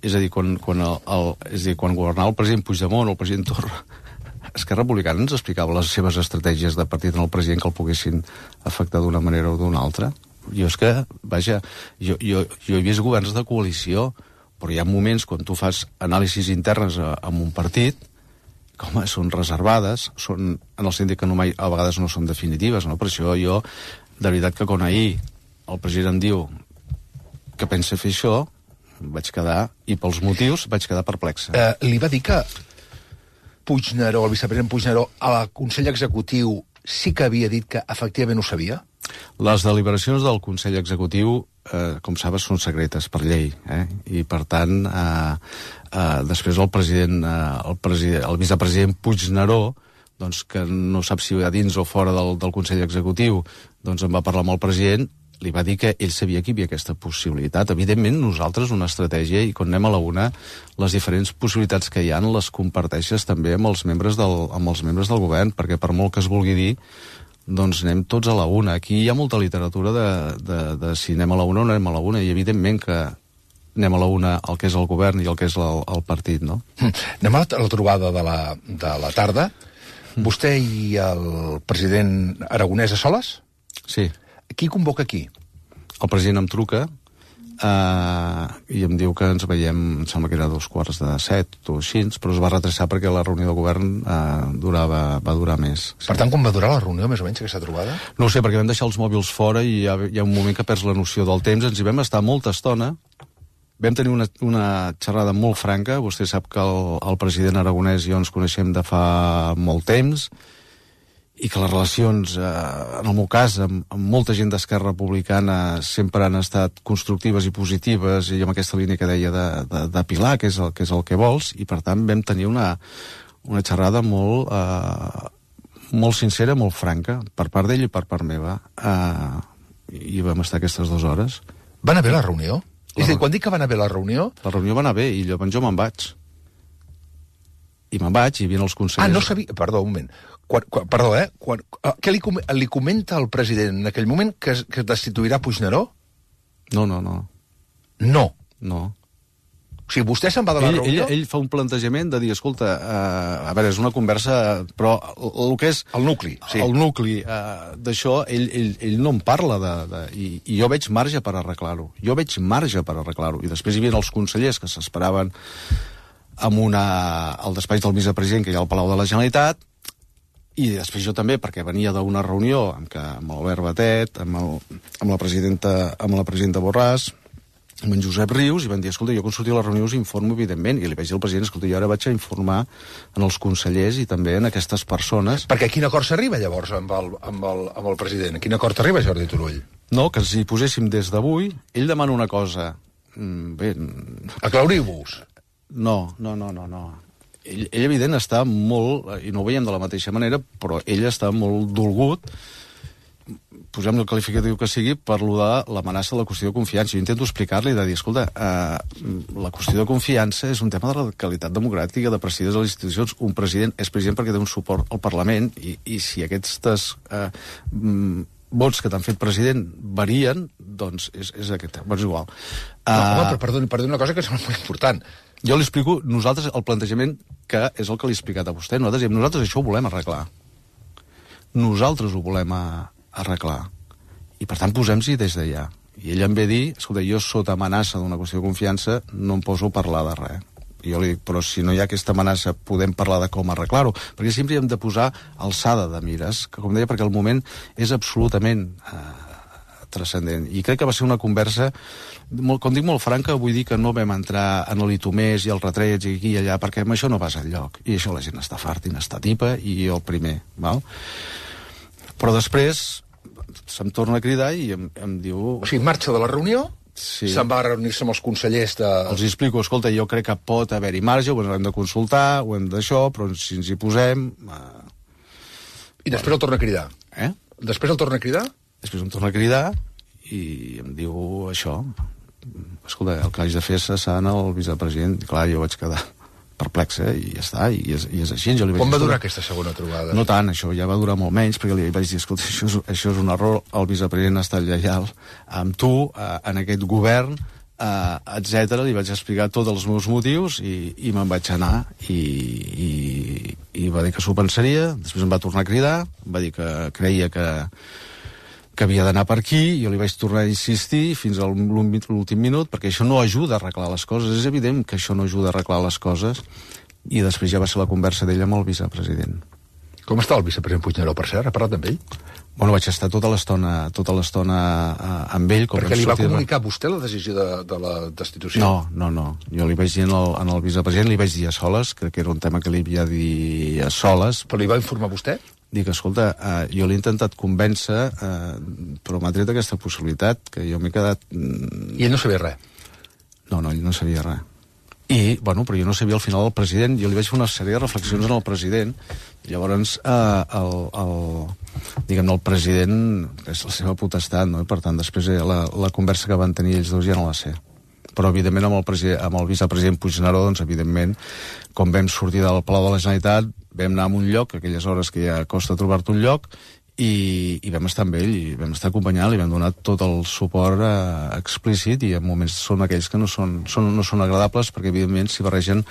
és a dir, quan, quan, el, el, és a dir, quan governava el president Puigdemont o el president Torra, Esquerra Republicana ens explicava les seves estratègies de partit en el president que el poguessin afectar d'una manera o d'una altra. Jo és que, vaja, jo, jo, jo he vist governs de coalició, però hi ha moments quan tu fas anàlisis internes a, a un partit, com són reservades, són, en el sentit que no mai, a vegades no són definitives, no? Per això jo, de veritat que quan ahir el president em diu que pensa fer això, vaig quedar, i pels motius, vaig quedar perplexa. Eh, li va dir que Puigneró, el vicepresident Puigneró, al Consell Executiu sí que havia dit que efectivament ho sabia? Les deliberacions del Consell Executiu, eh, com sabes, són secretes per llei, eh? I per tant, eh, eh, després el president, eh, el, president, el vicepresident Puigneró, doncs, que no sap si a dins o fora del, del Consell Executiu, doncs em va parlar amb el president, li va dir que ell sabia que hi havia aquesta possibilitat. Evidentment, nosaltres, una estratègia, i quan anem a la una, les diferents possibilitats que hi ha les comparteixes també amb els membres del, amb els membres del govern, perquè per molt que es vulgui dir, doncs anem tots a la una. Aquí hi ha molta literatura de, de, de si anem a la una o no anem a la una, i evidentment que anem a la una el que és el govern i el que és el, el partit, no? Anem a la trobada de la, de la tarda. Vostè i el president Aragonès a soles? Sí. Qui convoca qui? El president em truca uh, i em diu que ens veiem, em sembla que era a dos quarts de set o així, però es va retrasar perquè la reunió de govern uh, durava, va durar més. Per tant, com va durar la reunió, més o menys, aquesta trobada? No ho sé, perquè vam deixar els mòbils fora i hi ha, hi ha un moment que perds la noció del temps. Ens hi vam estar molta estona. Vam tenir una, una xerrada molt franca. Vostè sap que el, el president Aragonès i jo ens coneixem de fa molt temps, i que les relacions, eh, en el meu cas, amb, amb molta gent d'Esquerra Republicana sempre han estat constructives i positives, i amb aquesta línia que deia de, de, de Pilar, que és, el, que és el que vols, i per tant vam tenir una, una xerrada molt, eh, molt sincera, molt franca, per part d'ell i per part meva, eh, i vam estar aquestes dues hores. Va anar bé la reunió? La... És a dir, quan dic que va anar bé la reunió... La reunió va anar bé, i llavors jo me'n vaig. I me'n vaig, i hi havia els consellers... Ah, no sabia... Perdó, un moment. Quan, quan, perdó, eh? Quan, què li, li comenta al president en aquell moment que, que es destituirà Puigneró? No, no, no. No? No. O sigui, vostè se'n va de la ell, reunió? Ell, ell fa un plantejament de dir, escolta, uh, a veure, és una conversa, però el, el que és... El nucli, sí. El nucli uh, d'això, ell, ell, ell no en parla, de, de, i, i jo veig marge per arreglar-ho. Jo veig marge per arreglar-ho. I després hi havia els consellers que s'esperaven amb una, al despatx del vicepresident, que hi ha al Palau de la Generalitat, i després jo també, perquè venia d'una reunió amb, que, amb l'Albert Batet, amb, el, amb, la presidenta, amb la presidenta Borràs, amb en Josep Rius, i van dir, escolta, jo quan surti a la reunió us informo, evidentment, i li vaig dir al president, escolta, jo ara vaig a informar en els consellers i també en aquestes persones. Perquè a quin acord s'arriba, llavors, amb el, amb, el, amb el president? A quin acord arriba, Jordi Turull? No, que si poséssim des d'avui, ell demana una cosa... Bé... Aclauriu-vos. No, no, no, no, no. Ell, ell, evident, està molt, i no ho veiem de la mateixa manera, però ell està molt dolgut, posem el qualificatiu que sigui, per lo de l'amenaça de la qüestió de confiança. Jo intento explicar-li, de dir, escolta, eh, la qüestió de confiança és un tema de radicalitat democràtica, de presidir les institucions. Un president és president perquè té un suport al Parlament, i, i si aquestes eh, vots que t'han fet president varien, doncs és, és aquest. Però és igual. No, uh, home, però perdoni, perdoni una cosa que sembla molt important. Jo li explico, nosaltres, el plantejament que és el que li he explicat a vostè. Nosaltres, nosaltres això ho volem arreglar. Nosaltres ho volem a, arreglar. I, per tant, posem-s'hi des d'allà. I ell em ve dir, escolta, jo sota amenaça d'una qüestió de confiança no em poso a parlar de res. I jo li dic, però si no hi ha aquesta amenaça podem parlar de com arreglar-ho. Perquè sempre hem de posar alçada de mires, que, com deia, perquè el moment és absolutament... Eh, transcendent. I crec que va ser una conversa, molt, com dic, molt franca, vull dir que no vam entrar en l'Itomés i el retrets i aquí i allà, perquè amb això no vas enlloc. I això la gent està farta i n'està tipa, i jo el primer. Val? Però després se'm torna a cridar i em, em diu... O sigui, marxa de la reunió, sí. se'n va reunir-se amb els consellers de... Els explico, escolta, jo crec que pot haver-hi marge, ho hem de consultar, ho hem d'això, però si ens hi posem... Eh... I després el torna a cridar. Eh? Després el torna a cridar? Després em torna a cridar i em diu això. Escolta, el que haig de fer és cessar el vicepresident. I clar, jo vaig quedar perplex, eh? I ja està, i és, i és així. Jo li vaig Com va dir, durar aquesta segona trobada? No tant, això ja va durar molt menys, perquè li vaig dir, escolta, això és, això és un error, el vicepresident ha estat lleial amb tu, eh, en aquest govern, eh, etcètera. Li vaig explicar tots els meus motius i, i me'n vaig anar i, i, i va dir que s'ho pensaria, després em va tornar a cridar, va dir que creia que que havia d'anar per aquí, jo li vaig tornar a insistir fins a l'últim minut, perquè això no ajuda a arreglar les coses, és evident que això no ajuda a arreglar les coses, i després ja va ser la conversa d'ell amb el vicepresident. Com està el vicepresident Puigneró, per cert? Ha parlat amb ell? Bueno, vaig estar tota l'estona tota l'estona amb ell. Com perquè li va comunicar a vostè la decisió de, de la destitució? No, no, no. Jo li vaig dir al, al vicepresident, li vaig dir a soles, crec que era un tema que li havia de dir a soles. Però li va informar vostè? Dic, escolta, eh, jo l'he intentat convèncer, eh, però m'ha tret aquesta possibilitat, que jo m'he quedat... Mm... I ell no sabia res? No, no, ell no sabia res. I, bueno, però jo no sabia al final del president, jo li vaig fer una sèrie de reflexions en el president, llavors, eh, el, el, diguem-ne, el president, és la seva potestat, no? I, per tant, després la, la conversa que van tenir ells dos ja no la sé. Però, evidentment, amb el, amb el vicepresident Puigneró, doncs, evidentment, com vam sortir del Palau de la Generalitat, vam anar a un lloc, aquelles hores que ja costa trobar-te un lloc, i, i vam estar amb ell, i vam estar acompanyant, li vam donar tot el suport eh, explícit, i en moments són aquells que no són, són, no són agradables, perquè, evidentment, s'hi barregen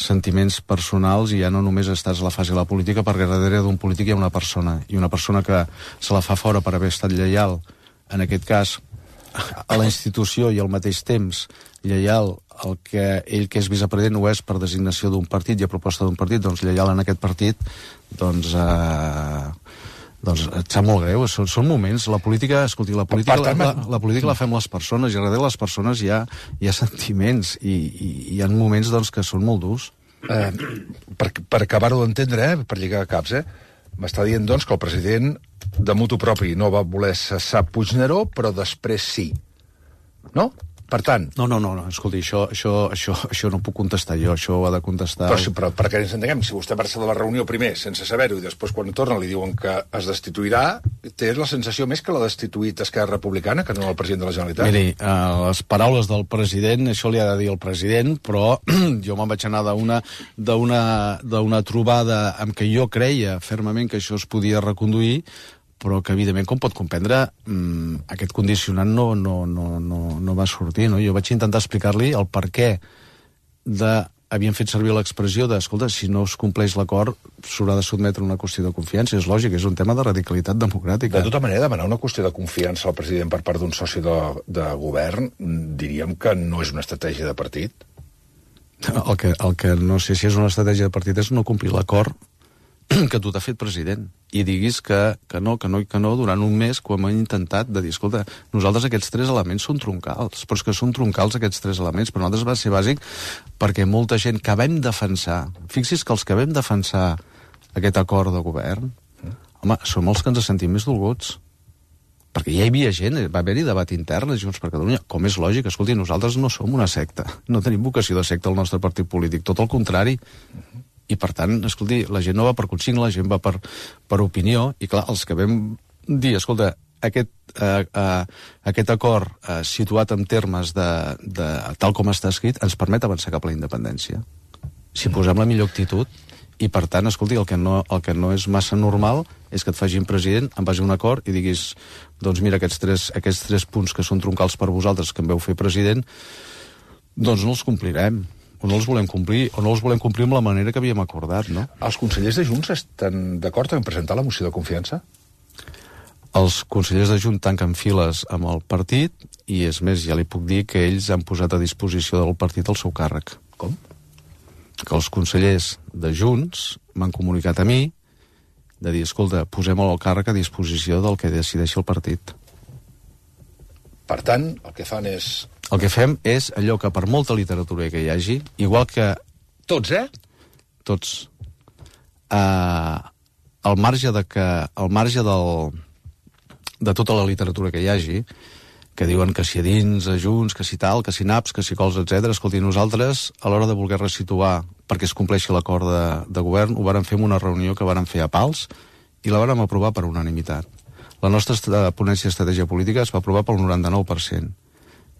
sentiments personals, i ja no només estàs a la fase de la política, perquè darrere d'un polític hi ha una persona, i una persona que se la fa fora per haver estat lleial, en aquest cas, a la institució, i al mateix temps lleial el que ell, que és vicepresident, ho és per designació d'un partit i a proposta d'un partit, doncs lleial en aquest partit, doncs, eh, doncs et sap molt greu. Són, són moments, la política, escolti, la política, la, la, la política la fem les persones, i darrere les persones hi ha, hi ha sentiments, i, i hi ha moments, doncs, que són molt durs. Eh, per per acabar-ho d'entendre, eh, per lligar caps, eh, m'està dient, doncs, que el president de motu propi no va voler cessar Puigneró, però després sí. No? Per tant... No, no, no, no. Escolti, això, això, això, això no puc contestar jo, això ho ha de contestar... Però, però perquè ens entenguem, si vostè marxa de la reunió primer sense saber-ho i després quan torna li diuen que es destituirà, té la sensació més que l'ha destituït Esquerra Republicana que no el president de la Generalitat? Miri, uh, les paraules del president, això li ha de dir el president, però jo me'n vaig anar d'una d'una trobada amb què jo creia fermament que això es podia reconduir, però que, evidentment, com pot comprendre, mmm, aquest condicionant no, no, no, no, no va sortir, no? Jo vaig intentar explicar-li el per què de... Havien fet servir l'expressió de, escolta, si no es compleix l'acord, s'haurà de sotmetre una qüestió de confiança. És lògic, és un tema de radicalitat democràtica. De tota manera, demanar una qüestió de confiança al president per part d'un soci de, de govern, diríem que no és una estratègia de partit? El que, el que no sé si és una estratègia de partit és no complir l'acord que tu t'ha fet president, i diguis que, que no, que no i que no durant un mes quan hem intentat de dir, escolta, nosaltres aquests tres elements són troncals, però és que són troncals aquests tres elements, però nosaltres va ser bàsic perquè molta gent que vam defensar, fixi's que els que vam defensar aquest acord de govern, home, som els que ens sentim més dolguts, perquè ja hi havia gent, va haver-hi debat intern a Junts per Catalunya, com és lògic, escolti, nosaltres no som una secta, no tenim vocació de secta al nostre partit polític, tot el contrari. I, per tant, escolti, la gent no va per consigna, la gent va per, per opinió, i clar, els que vam dir, escolta, aquest, eh, eh, aquest acord eh, situat en termes de, de tal com està escrit ens permet avançar cap a la independència. Si posem la millor actitud, i per tant, escolti, el que no, el que no és massa normal és que et facin president en base a un acord i diguis, doncs mira, aquests tres, aquests tres punts que són troncals per vosaltres, que em veu fer president, doncs no els complirem. O no els volem complir, o no els volem complir amb la manera que havíem acordat, no? Els consellers de Junts estan d'acord en presentar la moció de confiança? Els consellers de Junts tanquen files amb el partit, i és més, ja li puc dir que ells han posat a disposició del partit el seu càrrec. Com? Que els consellers de Junts m'han comunicat a mi de dir, escolta, posem el càrrec a disposició del que decideixi el partit. Per tant, el que fan és... El que fem és allò que per molta literatura que hi hagi, igual que... Tots, eh? Tots. Uh, al marge de que... Al marge del, de tota la literatura que hi hagi, que diuen que si a dins, a Junts, que si tal, que si naps, que si cols, etcètera. Escolti, nosaltres, a l'hora de voler resituar perquè es compleixi l'acord de, de govern, ho vàrem fer en una reunió que vàrem fer a Pals i la vàrem aprovar per unanimitat. La nostra ponència d'estratègia política es va aprovar pel noranta-nou per cent.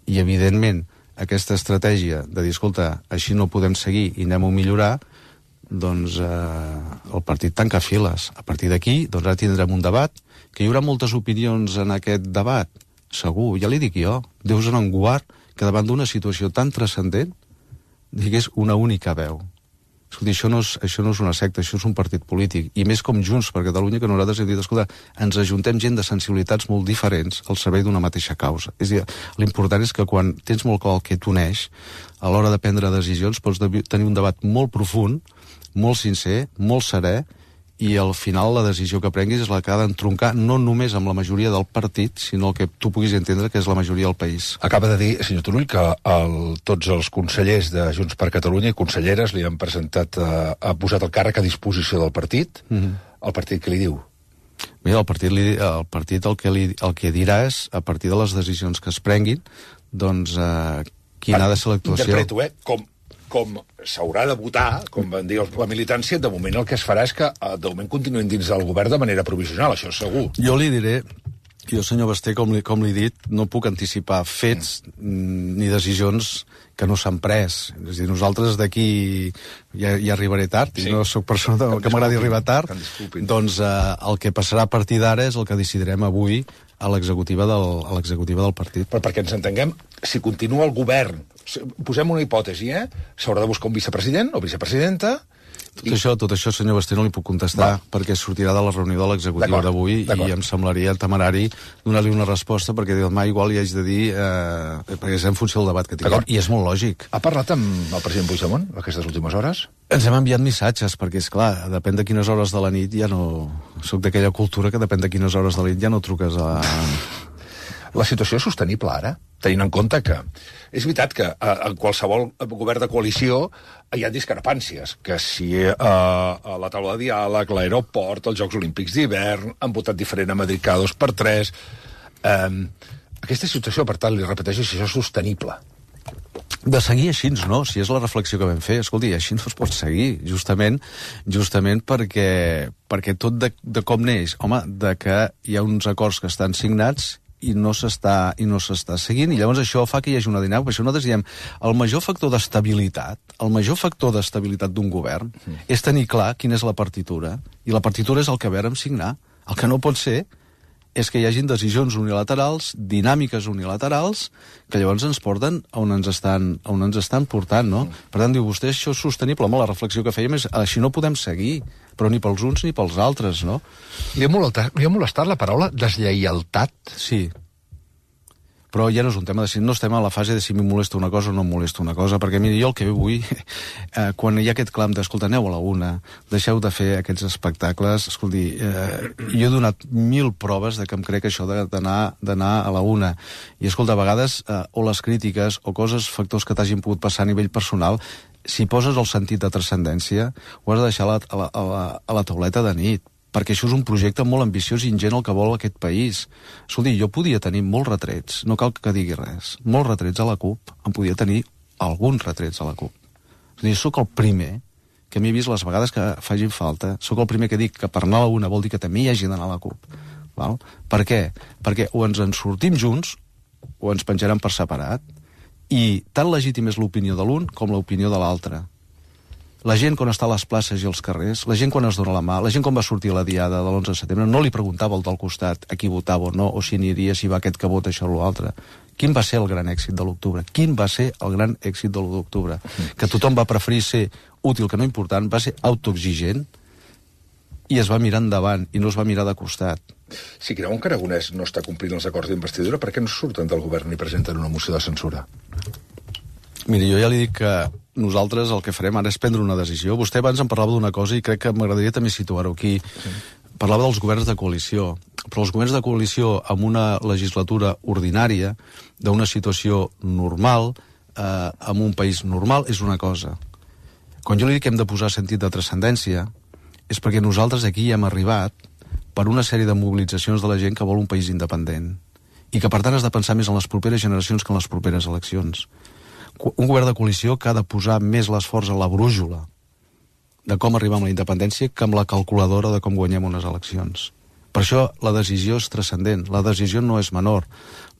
I, evidentment, aquesta estratègia de dir, escolta, així no podem seguir i anem a millorar, doncs eh, el partit tanca files. A partir d'aquí, doncs ara tindrem un debat, que hi haurà moltes opinions en aquest debat, segur, ja li dic jo, Déu se n'en guard que davant d'una situació tan transcendent digués una única veu. Escolta, això no, és, això no és una secta, això és un partit polític, i més com Junts per Catalunya, que nosaltres hem dit, escolta, ens ajuntem gent de sensibilitats molt diferents al servei d'una mateixa causa. És a dir, l'important és que quan tens molt clar el que t'uneix, a l'hora de prendre decisions pots tenir un debat molt profund, molt sincer, molt serè, i al final la decisió que prenguis és la que ha d'entroncar no només amb la majoria del partit, sinó el que tu puguis entendre que és la majoria del país. Acaba de dir, senyor Turull, que el, tots els consellers de Junts per Catalunya i conselleres li han presentat, eh, ha posat el càrrec a disposició del partit. Mm-hmm. El partit què li diu? Mira, el partit, li, el, partit el, que li, el que dirà és, a partir de les decisions que es prenguin, doncs eh, quina ha de ser l'actuació. Interpreto, eh? Com... com s'haurà de votar, com van dir la militància, de moment el que es farà és que de moment continuïn dins del govern de manera provisional, això és segur. Jo li diré, jo senyor Basté, com li, com li he dit, no puc anticipar fets mm. ni decisions que no s'han pres. És a dir, nosaltres d'aquí ja, ja arribaré tard, sí. I no sóc persona que, que m'agradi arribar tard, doncs eh, el que passarà a partir d'ara és el que decidirem avui a l'executiva del, a l'executiva del partit. Però perquè ens entenguem, si continua el govern, posem una hipòtesi, eh? S'haurà de buscar un vicepresident o vicepresidenta. Tot, i... això, tot això, senyor Basté, no li puc contestar, va. Perquè sortirà de la reunió de l'executiva d'avui i em semblaria temerari donar-li una resposta, perquè demà igual hi haig de dir, eh, perquè és en funció del debat que tinguem, i és molt lògic. Ha parlat amb el president Puigdemont aquestes últimes hores? Ens hem enviat missatges, perquè, és clar, depèn de quines hores de la nit, ja no... Soc d'aquella cultura que depèn de quines hores de la nit ja no truques a... La situació és sostenible ara, tenint en compte que és veritat que eh, en qualsevol govern de coalició hi ha discrepàncies, que si eh, a la taula de diàleg, l'aeroport, els Jocs Olímpics d'hivern, han votat diferent a Madrid cada dos per tres... Eh, aquesta situació, per tant, li repeteixo, si això és sostenible. De seguir així, no? Si és la reflexió que vam fer, escolti, així no es pot seguir, justament justament perquè, perquè tot de, de com neix, home, de que hi ha uns acords que estan signats i no s'està i no s'està seguint, i llavors això fa que hi hagi una dinàmica. Per això nosaltres diem, el major factor d'estabilitat, el major factor d'estabilitat d'un govern mm. és tenir clar quina és la partitura, i la partitura és el que vàrem signar. El que no pot ser és que hi hagin decisions unilaterals, dinàmiques unilaterals, que llavors ens porten on ens estan, on ens estan portant, no? Mm. Per tant, diu vostè, això és sostenible. Home, la reflexió que fèiem és, així no podem seguir, però ni pels uns ni pels altres, no? Li ha molestat, li ha molestat la paraula deslleialtat? Sí. Però ja no és un tema de si no estem a la fase de si m'hi molesta una cosa o no em molesta una cosa, perquè mira, jo el que vull, eh, quan hi ha aquest clam d'escolta, aneu a la una, deixeu de fer aquests espectacles, escolti, eh, jo he donat mil proves de que em crec això d'anar d'anar a la una, i escolta, a vegades, eh, o les crítiques, o coses, factors que t'hagin pogut passar a nivell personal, si poses el sentit de transcendència, ho has de deixar a la, a la, a la, a la tauleta de nit, perquè això és un projecte molt ambiciós i ingent el que vol aquest país. Escolti, jo podia tenir molts retrets, no cal que digui res, molts retrets a la CUP, em podia tenir alguns retrets a la CUP. És a dir, sóc el primer que m'he vist les vegades que facin falta, sóc el primer que dic que per anar a la una vol dir que també hi hagi d'anar a la CUP. Val? Per què? Perquè o ens en sortim junts o ens penjarem per separat, i tan legítim és l'opinió de l'un com l'opinió de l'altre. La gent quan està a les places i als carrers, la gent quan es dona la mà, la gent quan va sortir a la diada de l'onze de setembre, no li preguntava al del costat a qui votava o no, o si aniria, si va aquest que vota això o l'altre. Quin va ser el gran èxit de l'octubre? Quin va ser el gran èxit de l'u d'octubre? Que tothom va preferir ser útil que no important, va ser autoexigent i es va mirar endavant i no es va mirar de costat. Si creuen que Aragonès no està complint els acords d'investidura, per què no surten del govern i presenten una moció de censura? Miri, jo ja li dic que nosaltres el que farem ara és prendre una decisió. Vostè abans em parlava d'una cosa i crec que m'agradaria també situar-ho aquí. Sí. Parlava dels governs de coalició, però els governs de coalició amb una legislatura ordinària, d'una situació normal, eh, amb un país normal, és una cosa. Quan jo li dic que hem de posar sentit de transcendència, és perquè nosaltres aquí hem arribat per una sèrie de mobilitzacions de la gent que vol un país independent. i que per tant has de pensar més en les properes generacions que en les properes eleccions. Un govern de coalició que ha de posar més l'esforç a la brújula de com arribar a la independència que amb la calculadora de com guanyem unes eleccions. Per això la decisió és transcendent, la decisió no és menor,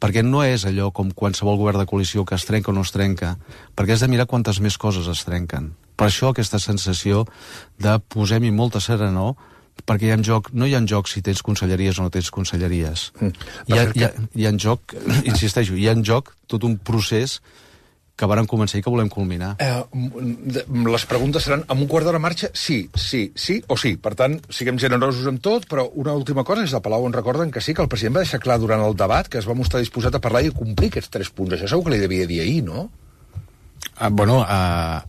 perquè no és allò com qualsevol govern de coalició que es trenca o no es trenca, perquè has de mirar quantes més coses es trenquen. Per això aquesta sensació de posem-hi molta serenor, perquè hi ha en joc, no hi ha en joc si tens conselleries o no tens conselleries. Mm. Hi, ha, hi, ha, hi ha en joc, insisteixo, hi ha en joc tot un procés que varen començar i que volem culminar. Eh, les preguntes seran, amb un quart d'hora marxa, sí, sí, sí o sí. Per tant, siguem generosos amb tot, però una última cosa és de Palau on recorden que sí, que el president va deixar clar durant el debat que es va mostrar disposat a parlar i a complir aquests tres punts. Això segur que li devia dir ahir, no? Ah, bueno, uh,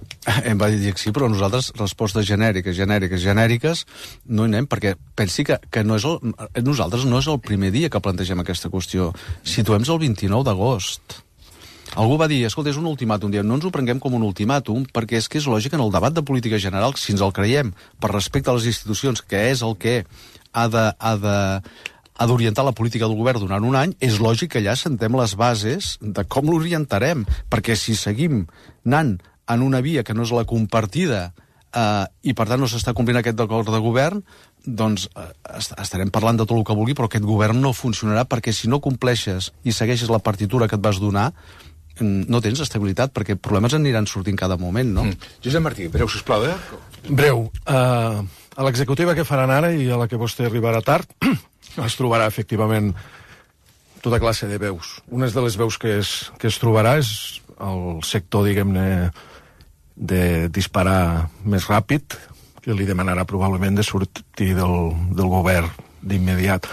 em va dir que sí, però nosaltres respostes genèriques, genèriques, genèriques no hi anem, perquè pensi que, que no és el, nosaltres no és el primer dia que plantegem aquesta qüestió. Situem-nos el vint-i-nou d'agost. Algú va dir, escolta, és un ultimàtum. No ens ho prenguem com un ultimàtum, perquè és que és lògic en el debat de política general, si ens el creiem, per respecte a les institucions, que és el que ha de, ha de, ha d'orientar la política del govern durant un any, és lògic que allà sentem les bases de com l'orientarem, perquè si seguim anant en una via que no és la compartida eh, i per tant no s'està complint aquest acord de govern, doncs eh, estarem parlant de tot el que vulgui, però aquest govern no funcionarà, perquè si no compleixes i segueixes la partitura que et vas donar, no tens estabilitat, perquè problemes aniran sortint cada moment, no? Mm. Josep Martí, breu, sisplau, eh? Breu. Uh, a l'executiva que faran ara i a la que vostè arribarà tard es trobarà, efectivament, tota classe de veus. Una de les veus que es, que es trobarà és el sector, diguem-ne, de disparar més ràpid, que li demanarà probablement de sortir del, del govern d'immediat.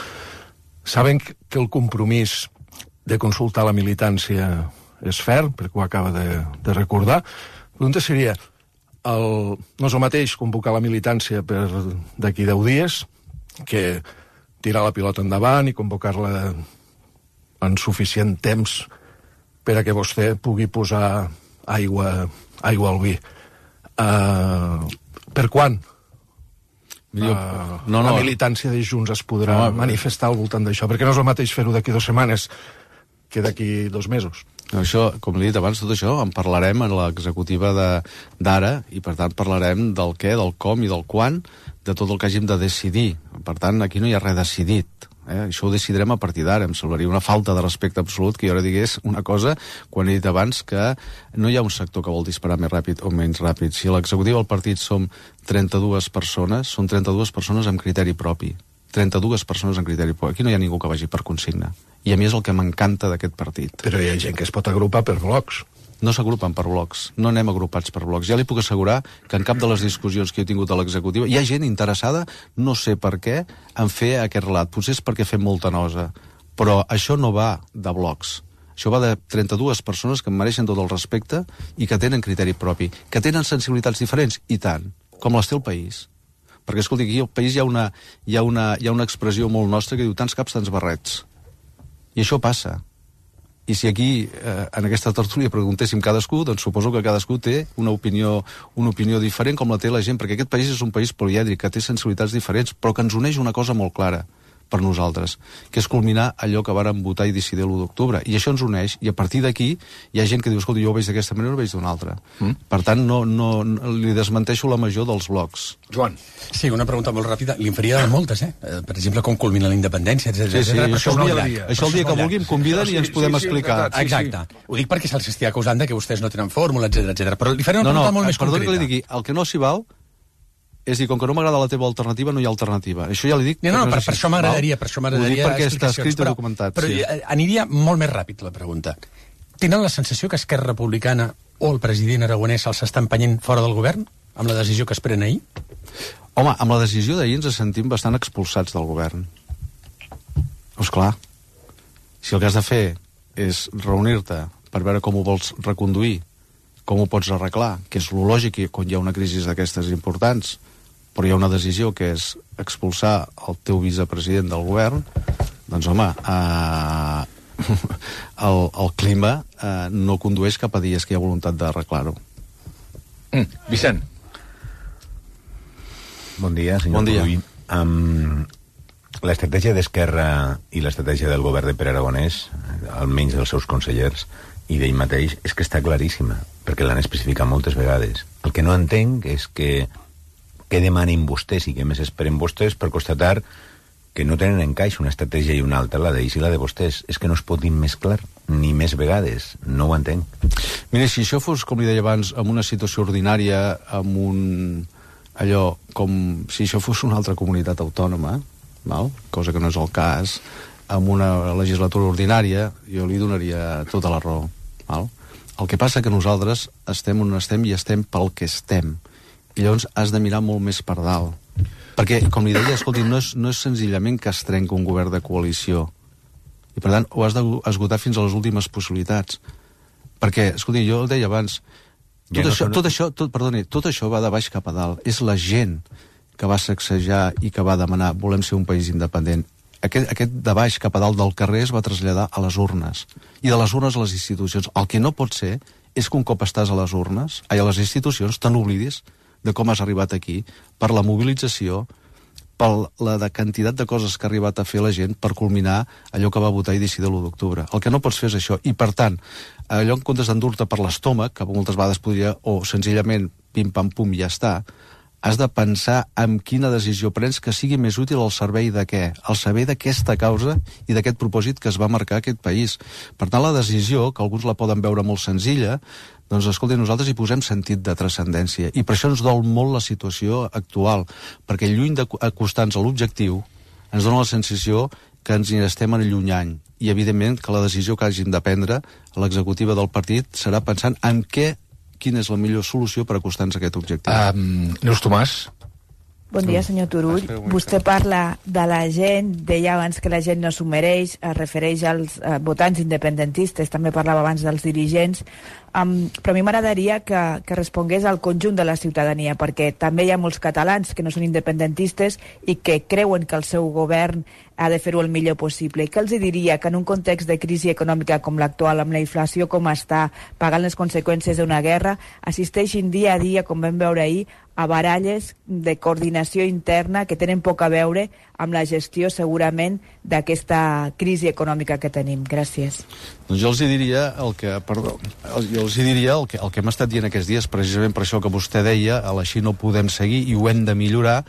Saben que el compromís de consultar la militància és ferm, perquè ho acaba de, de recordar. La pregunta seria, el, no és el mateix convocar la militància per d'aquí deu dies que tirar la pilota endavant i convocar-la en suficient temps per a que vostè pugui posar aigua, aigua al vi. Uh, per quan? Uh, no, no. La militància de Junts es podrà no, manifestar al voltant d'això, perquè no és el mateix fer-ho d'aquí dues setmanes que d'aquí dos mesos. No, això, com li he dit abans, tot això en parlarem en l'executiva d'ara i per tant parlarem del què, del com i del quan, de tot el que hàgim de decidir. Per tant, aquí no hi ha res decidit. Eh? Això ho decidirem a partir d'ara. Em semblaria una falta de respecte absolut que jo ara digués una cosa quan he dit abans que no hi ha un sector que vol disparar més ràpid o menys ràpid. Si l'executiva del partit som trenta-dues persones, són trenta-dues persones amb criteri propi. trenta-dues persones amb criteri propi. Aquí no hi ha ningú que vagi per consigna. I a mi és el que m'encanta d'aquest partit. Però hi ha gent que es pot agrupar per blocs. No s'agrupen per blocs, no anem agrupats per blocs. Ja li puc assegurar que en cap de les discussions que he tingut a l'executiva hi ha gent interessada, no sé per què, en fer aquest relat. Potser és perquè fem molta nosa, però això no va de blocs. Això va de trenta-dues persones que em mereixen tot el respecte i que tenen criteri propi, que tenen sensibilitats diferents, i tant, com les té el país. Perquè, escolti, aquí al país hi ha una, hi ha una, hi ha una expressió molt nostra que diu tants caps, tants barrets. I això passa. I si aquí, eh, en aquesta tertúlia, preguntéssim cadascú, doncs suposo que cadascú té una opinió, una opinió diferent com la té la gent, perquè aquest país és un país polièdric, que té sensibilitats diferents, però que ens uneix una cosa molt clara per nosaltres, que és culminar allò que vàrem votar i decidir l'u d'octubre. I això ens uneix, i a partir d'aquí hi ha gent que diu, escolta, jo ho veig d'aquesta manera o ho veig d'una altra. Mm. Per tant, no, no, no, li desmenteixo la major dels blocs. Joan. Sí, una pregunta molt ràpida. Li en faria moltes, eh? Per exemple, com culmina la independència, etcètera. Sí, sí, això, això, el dia, això el dia que vulgui em conviden i ens podem explicar. Exacte. Ho dic perquè se'ls estigui acusant de que vostès no tenen fórmula, etcètera, etcètera. Però li faré una no, pregunta no, molt més concreta. No, no, que li digui, el que no s'hi val és dir, com que no m'agrada la teva alternativa, no hi ha alternativa. Això ja li dic... No, no, per, per això m'agradaria, per això m'agradaria perquè està escrit i documentat. Però, sí. però aniria molt més ràpid, la pregunta. Tenen la sensació que Esquerra Republicana o el president Aragonès se'ls està empenyent fora del govern, amb la decisió que es pren ahir? Home, amb la decisió d'ahir ens sentim bastant expulsats del govern. Doncs clar, si el que has de fer és reunir-te per veure com ho vols reconduir, com ho pots arreglar, que és lo lògic quan hi ha una crisi d'aquestes importants, però hi ha una decisió que és expulsar el teu vicepresident del govern, doncs home, eh, el, el clima eh, no condueix cap a dies que hi ha voluntat d'arreglar-ho. Mm. Vicent. Bon dia, senyor Bon dia. Um, l'estratègia d'Esquerra i l'estratègia del govern de Pere Aragonès, almenys dels seus consellers, i d'ell mateix, és que està claríssima, perquè l'han especificat moltes vegades. El que no entenc és que què demanin vostès i què més esperen vostès per constatar que no tenen encaix una estratègia i una altra, la d'ells i la de vostès. És que no es pot dir més clar, ni més vegades. No ho entenc. Mira, si això fos, com li deia abans, amb una situació ordinària, amb un... allò, com si això fos una altra comunitat autònoma, val? Cosa que no és el cas, amb una legislatura ordinària, jo li donaria tota la raó. Val? El que passa que nosaltres estem on estem i estem pel que estem. I llavors has de mirar molt més per dalt. Perquè, com li deia, escolti, no és, no és senzillament que es trenca un govern de coalició. I, per tant, ho has d'esgotar fins a les últimes possibilitats. Perquè, escolti, jo el deia abans, tot, ja no això, tot això, tot, perdoni, tot això va de baix cap a dalt. És la gent que va sacsejar i que va demanar volem ser un país independent. Aquest, aquest de baix cap a dalt del carrer es va traslladar a les urnes. I de les urnes a les institucions. El que no pot ser és que un cop estàs a les urnes, ai, a les institucions, te n'oblidis de com has arribat aquí, per la mobilització, per la de quantitat de coses que ha arribat a fer la gent per culminar allò que va votar i decidir l'u d'octubre. El que no pots fer és això. I, per tant, allò en comptes d'endur-te per l'estómac, que moltes vegades podria, o senzillament pim-pam-pum i ja està, has de pensar en quina decisió prens que sigui més útil al servei de què? Al servei d'aquesta causa i d'aquest propòsit que es va marcar aquest país. Per tant, la decisió, que alguns la poden veure molt senzilla, doncs, escolti, nosaltres hi posem sentit de transcendència. I per això ens dol molt la situació actual, perquè lluny d'acostar-nos a l'objectiu, ens dona la sensació que ens hi estem allunyant. I, evidentment, que la decisió que hagin de prendre l'executiva del partit serà pensant en què, quina és la millor solució per acostar-nos a aquest objectiu. Um, Neus Tomàs. Bon dia, senyor Turull. Vostè parla de la gent, deia abans que la gent no s'ho mereix, es refereix als eh, votants independentistes, també parlava abans dels dirigents, um, però a mi m'agradaria que, que respongués al conjunt de la ciutadania, perquè també hi ha molts catalans que no són independentistes i que creuen que el seu govern ha de fer-ho el millor possible. I què els diria? Que en un context de crisi econòmica com l'actual, amb la inflació com està, pagant les conseqüències d'una guerra, assisteixin dia a dia, com vam veure ahir, a baralles de coordinació interna que tenen poc a veure amb la gestió, segurament, d'aquesta crisi econòmica que tenim. Gràcies. Doncs jo els hi diria el que, perdó, jo els hi diria el que, el que hem estat dient aquests dies, precisament per això que vostè deia, a l'així no podem seguir i ho hem de millorar,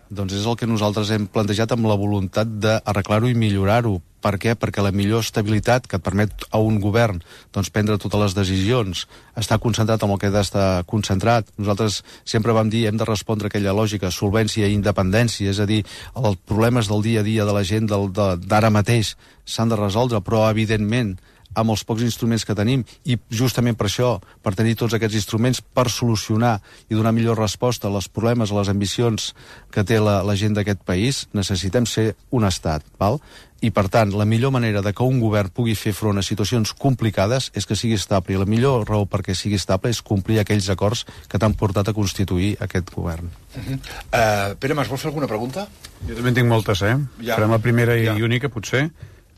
doncs és el que nosaltres hem plantejat amb la voluntat d'arreglar-ho i millorar-ho. Per què? Perquè la millor estabilitat que et permet a un govern doncs, prendre totes les decisions, estar concentrat en el que ha d'estar concentrat. Nosaltres sempre vam dir hem de respondre a aquella lògica, solvència i independència, és a dir, els problemes del dia a dia de la gent d'ara mateix s'han de resoldre, però evidentment amb els pocs instruments que tenim, i justament per això, per tenir tots aquests instruments per solucionar i donar millor resposta als problemes, a les ambicions que té la, la gent d'aquest país, necessitem ser un estat, val? I per tant, la millor manera de que un govern pugui fer front a situacions complicades és que sigui estable, i la millor raó perquè sigui estable és complir aquells acords que t'han portat a constituir aquest govern. Uh-huh. uh, Pere Mas, vols fer alguna pregunta? Jo també en tinc moltes, eh? Ja. Farem la primera i ja. única, potser.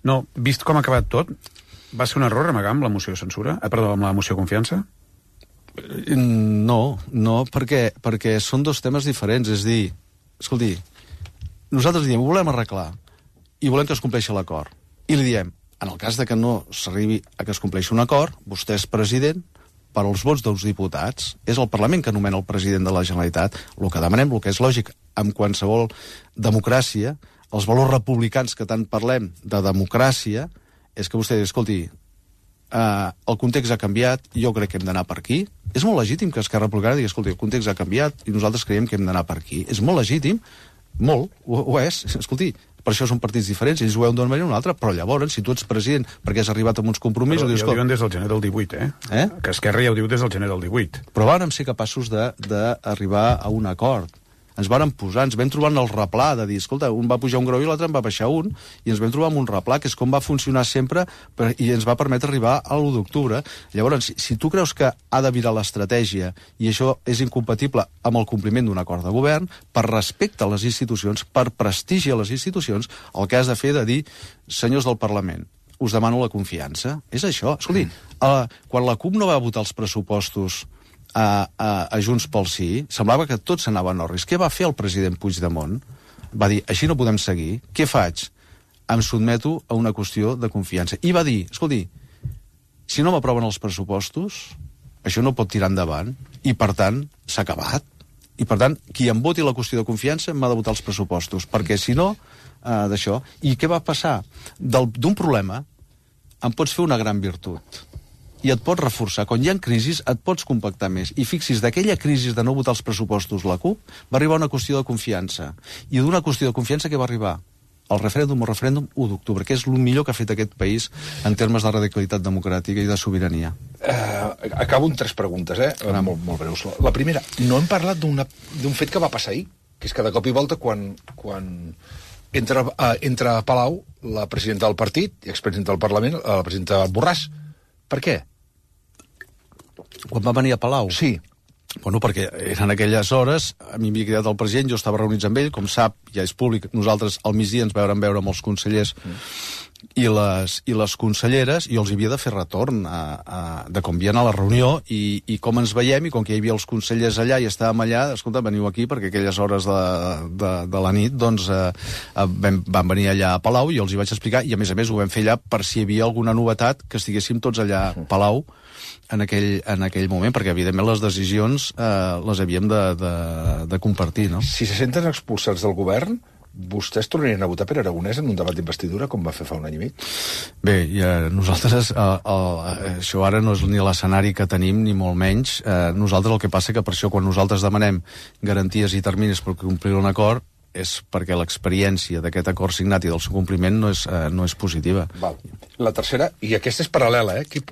No, vist com ha acabat tot, va ser un error amagar amb la moció de censura? Eh, perdó, amb la moció de confiança? No, no, perquè, perquè són dos temes diferents. És dir, escolti, nosaltres diem, ho volem arreglar i volem que es compleixi l'acord. I li diem, en el cas de que no s'arribi a que es compleixi un acord, vostè és president per als vots dels diputats. És el Parlament que nomena el president de la Generalitat. El que demanem, el que és lògic amb qualsevol democràcia, els valors republicans que tant parlem de democràcia, és que vostè digui, escolti, uh, el context ha canviat, jo crec que hem d'anar per aquí. És molt legítim que Esquerra Republicana digui, escolti, el context ha canviat i nosaltres creiem que hem d'anar per aquí. És molt legítim, molt, ho, ho és. Escolti, per això són partits diferents, ells ho veuen d'una manera o una altra, però llavors, si tu ets president perquè has arribat amb uns compromisos... Però dius, ja ho diuen des del gener del divuit, eh? eh? Que Esquerra ja ho diu des del gener del divuit. Però vàrem ser capaços d'arribar a un acord. Ens vàrem posar, ens vam trobar en el replà de dir, escolta, un va pujar un grau i l'altre en va baixar un, i ens vam trobar amb un replà, que és com va funcionar sempre, per, i ens va permetre arribar a l'u d'octubre. Llavors, si, si tu creus que ha de virar l'estratègia, i això és incompatible amb el compliment d'un acord de govern, per respecte a les institucions, per prestigi a les institucions, el que has de fer de dir, senyors del Parlament, us demano la confiança. És això. Escolti, uh, quan la CUP no va votar els pressupostos A, a, a Junts pel Sí, semblava que tot s'anava a Norris. Què va fer el president Puigdemont? Va dir, així no podem seguir. Què faig? Em sotmeto a una qüestió de confiança. I va dir, escolti, si no m'aproven els pressupostos, això no pot tirar endavant, i per tant, s'ha acabat. I per tant, qui em voti la qüestió de confiança m'ha de votar els pressupostos, perquè si no, eh, d'això... I què va passar? D'un problema en pots fer una gran virtut i et pots reforçar. Quan hi ha crisis et pots compactar més. I fixis, d'aquella crisi de no votar els pressupostos la CUP va arribar una qüestió de confiança. I d'una qüestió de confiança que va arribar el referèndum o referèndum u d'octubre, que és el millor que ha fet aquest país en termes de radicalitat democràtica i de sobirania. Uh, acabo amb tres preguntes, eh? Uh, molt, molt breus. La primera, no hem parlat d'un fet que va passar ahir, que és que de cop i volta quan, quan entra, uh, entra a Palau la presidenta del partit i expresidenta del Parlament, la presidenta Borràs. Per què? Quan va venir a Palau? Sí. Bueno, perquè eren aquelles hores, a mi m'havia quedat el president, jo estava reunits amb ell, com sap, ja és públic, nosaltres al migdia ens veurem veure amb els consellers mm. i, les, i les conselleres, i els havia de fer retorn a, a, de com havien a la reunió i, i com ens veiem, i com que hi havia els consellers allà i estàvem allà, escolta, veniu aquí, perquè aquelles hores de, de, de la nit, doncs, eh, vam, van venir allà a Palau i els hi vaig explicar, i a més a més ho vam fer allà per si hi havia alguna novetat, que estiguéssim tots allà a Palau, en aquell, en aquell moment, perquè evidentment les decisions eh, les havíem de, de, de compartir, no? Si se senten expulsats del govern, vostès tornarien a votar per Aragonès en un debat d'investidura com va fer fa un any i mig? Bé, ja, nosaltres eh, eh, això ara no és ni l'escenari que tenim, ni molt menys. Eh, nosaltres el que passa que per això quan nosaltres demanem garanties i terminis per complir un acord és perquè l'experiència d'aquest acord signat i del seu compliment no és, eh, no és positiva. Val. La tercera, i aquesta és paral·lela, eh? Qui,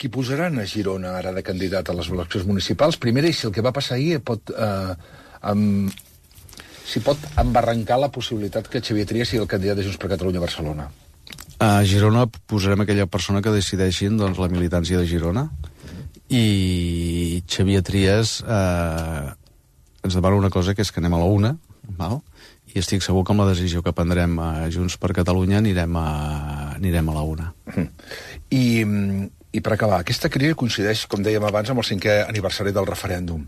qui posaran a Girona ara de candidat a les eleccions municipals? Primera, i si el que va passar ahir pot... Eh, amb, si pot embarrancar la possibilitat que Xavier Trias sigui el candidat de Junts per Catalunya a Barcelona? A Girona posarem aquella persona que decideixin doncs, la militància de Girona, i Xavier Trias eh, ens demana una cosa, que és que anem a la una, val? I estic segur que amb la decisió que prendrem a Junts per Catalunya anirem a, anirem a la una. I, I per acabar, aquesta crisi coincideix, com dèiem abans, amb el cinquè aniversari del referèndum.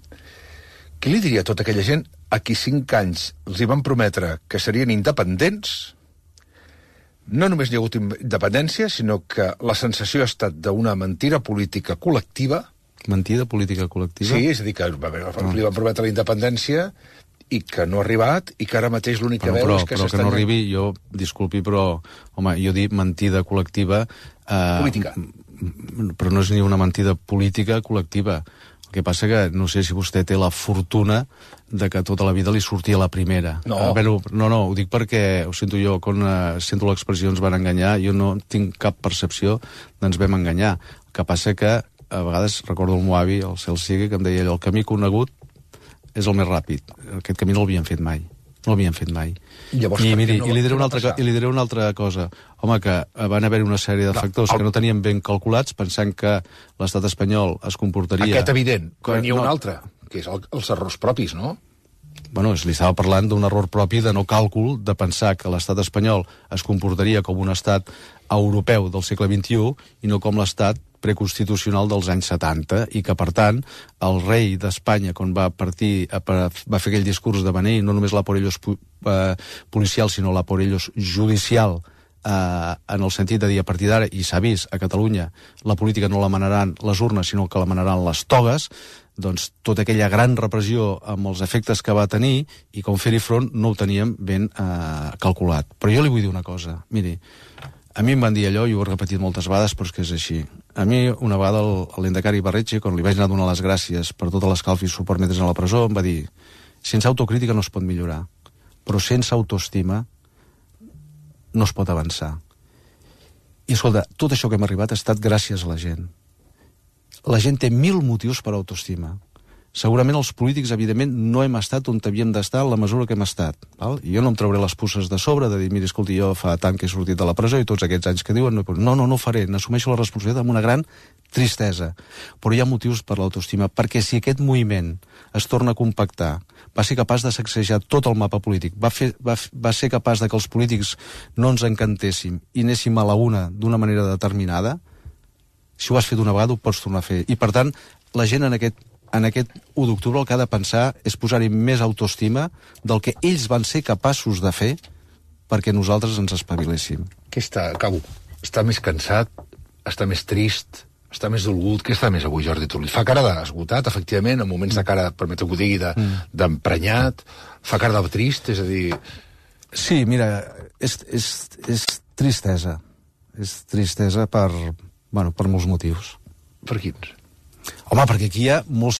Què li diria a tota aquella gent a qui cinc anys els hi van prometre que serien independents? No només hi ha hagut independència, sinó que la sensació ha estat d'una mentida política col·lectiva. Mentida política col·lectiva? Sí, és a dir, que no. li van prometre la independència i que no ha arribat, i que ara mateix l'únic que bueno, veu però, és que però s'estan... que no arribi, jo, disculpi, però, home, jo dic mentida col·lectiva... Eh, política. Però no és ni una mentida política col·lectiva. El que passa que no sé si vostè té la fortuna de que tota la vida li sortia la primera. No. Eh, bueno, no, no, ho dic perquè, ho sento jo, quan eh, sento l'expressió ens van enganyar, jo no tinc cap percepció d'ens vam enganyar. El que passa que, a vegades, recordo el meu avi, el cel sigui, que em deia allò, el camí conegut és el més ràpid. Aquest camí no l'havien fet mai. No l'havien fet mai. Llavors, I, miri, no i, li diré una no altra, I li diré una altra cosa. Home, que van haver una sèrie de factors no, el... que no teníem ben calculats, pensant que l'estat espanyol es comportaria... Aquest evident, però n'hi ha no. un altre, que és el, els errors propis, no? Bueno, li estava parlant d'un error propi de no càlcul, de pensar que l'estat espanyol es comportaria com un estat europeu del segle vint-i-u i no com l'estat preconstitucional dels anys setanta, i que, per tant, el rei d'Espanya, quan va partir, va fer aquell discurs de beneir no només la por ellos eh, policial, sinó la por ellos judicial, eh, en el sentit de dir, a partir d'ara, i s'ha vist, a Catalunya, la política no la manaran les urnes, sinó que la manaran les togues, doncs tota aquella gran repressió amb els efectes que va tenir, i com fer-hi front no ho teníem ben eh, calculat. Però jo li vull dir una cosa, miri, a mi em van dir allò, i ho he repetit moltes vegades, però és que és així. A mi, una vegada, l'Endacari Barretxe, quan li vaig anar a donar les gràcies per tota l'escalf i suport mentre a la presó, em va dir, sense autocrítica no es pot millorar, però sense autoestima no es pot avançar. I, escolta, tot això que hem arribat ha estat gràcies a la gent. La gent té mil motius per autoestima. Segurament els polítics, evidentment, no hem estat on havíem d'estar en la mesura que hem estat. Val? I jo no em trauré les puces de sobre de dir, mira, escolti, jo fa tant que he sortit de la presó i tots aquests anys que diuen, no, no, no, no ho faré, n'assumeixo la responsabilitat amb una gran tristesa. Però hi ha motius per l'autoestima, perquè si aquest moviment es torna a compactar, va ser capaç de sacsejar tot el mapa polític, va, fer, va, va ser capaç de que els polítics no ens encantéssim i anéssim a la una d'una manera determinada, si ho has fet una vegada ho pots tornar a fer. I, per tant, la gent en aquest en aquest u d'octubre el que ha de pensar és posar-hi més autoestima del que ells van ser capaços de fer perquè nosaltres ens espaviléssim. Què està, acabo, està més cansat, està més trist, està més dolgut? Què està més avui, Jordi Turull? Fa cara d'esgotat, efectivament, en moments de cara, permeteu que ho digui, d'emprenyat, de, mm. fa cara de trist, és a dir... Sí, mira, és, és, és tristesa. És tristesa per, bueno, per molts motius. Per quins? Home, perquè aquí hi ha molts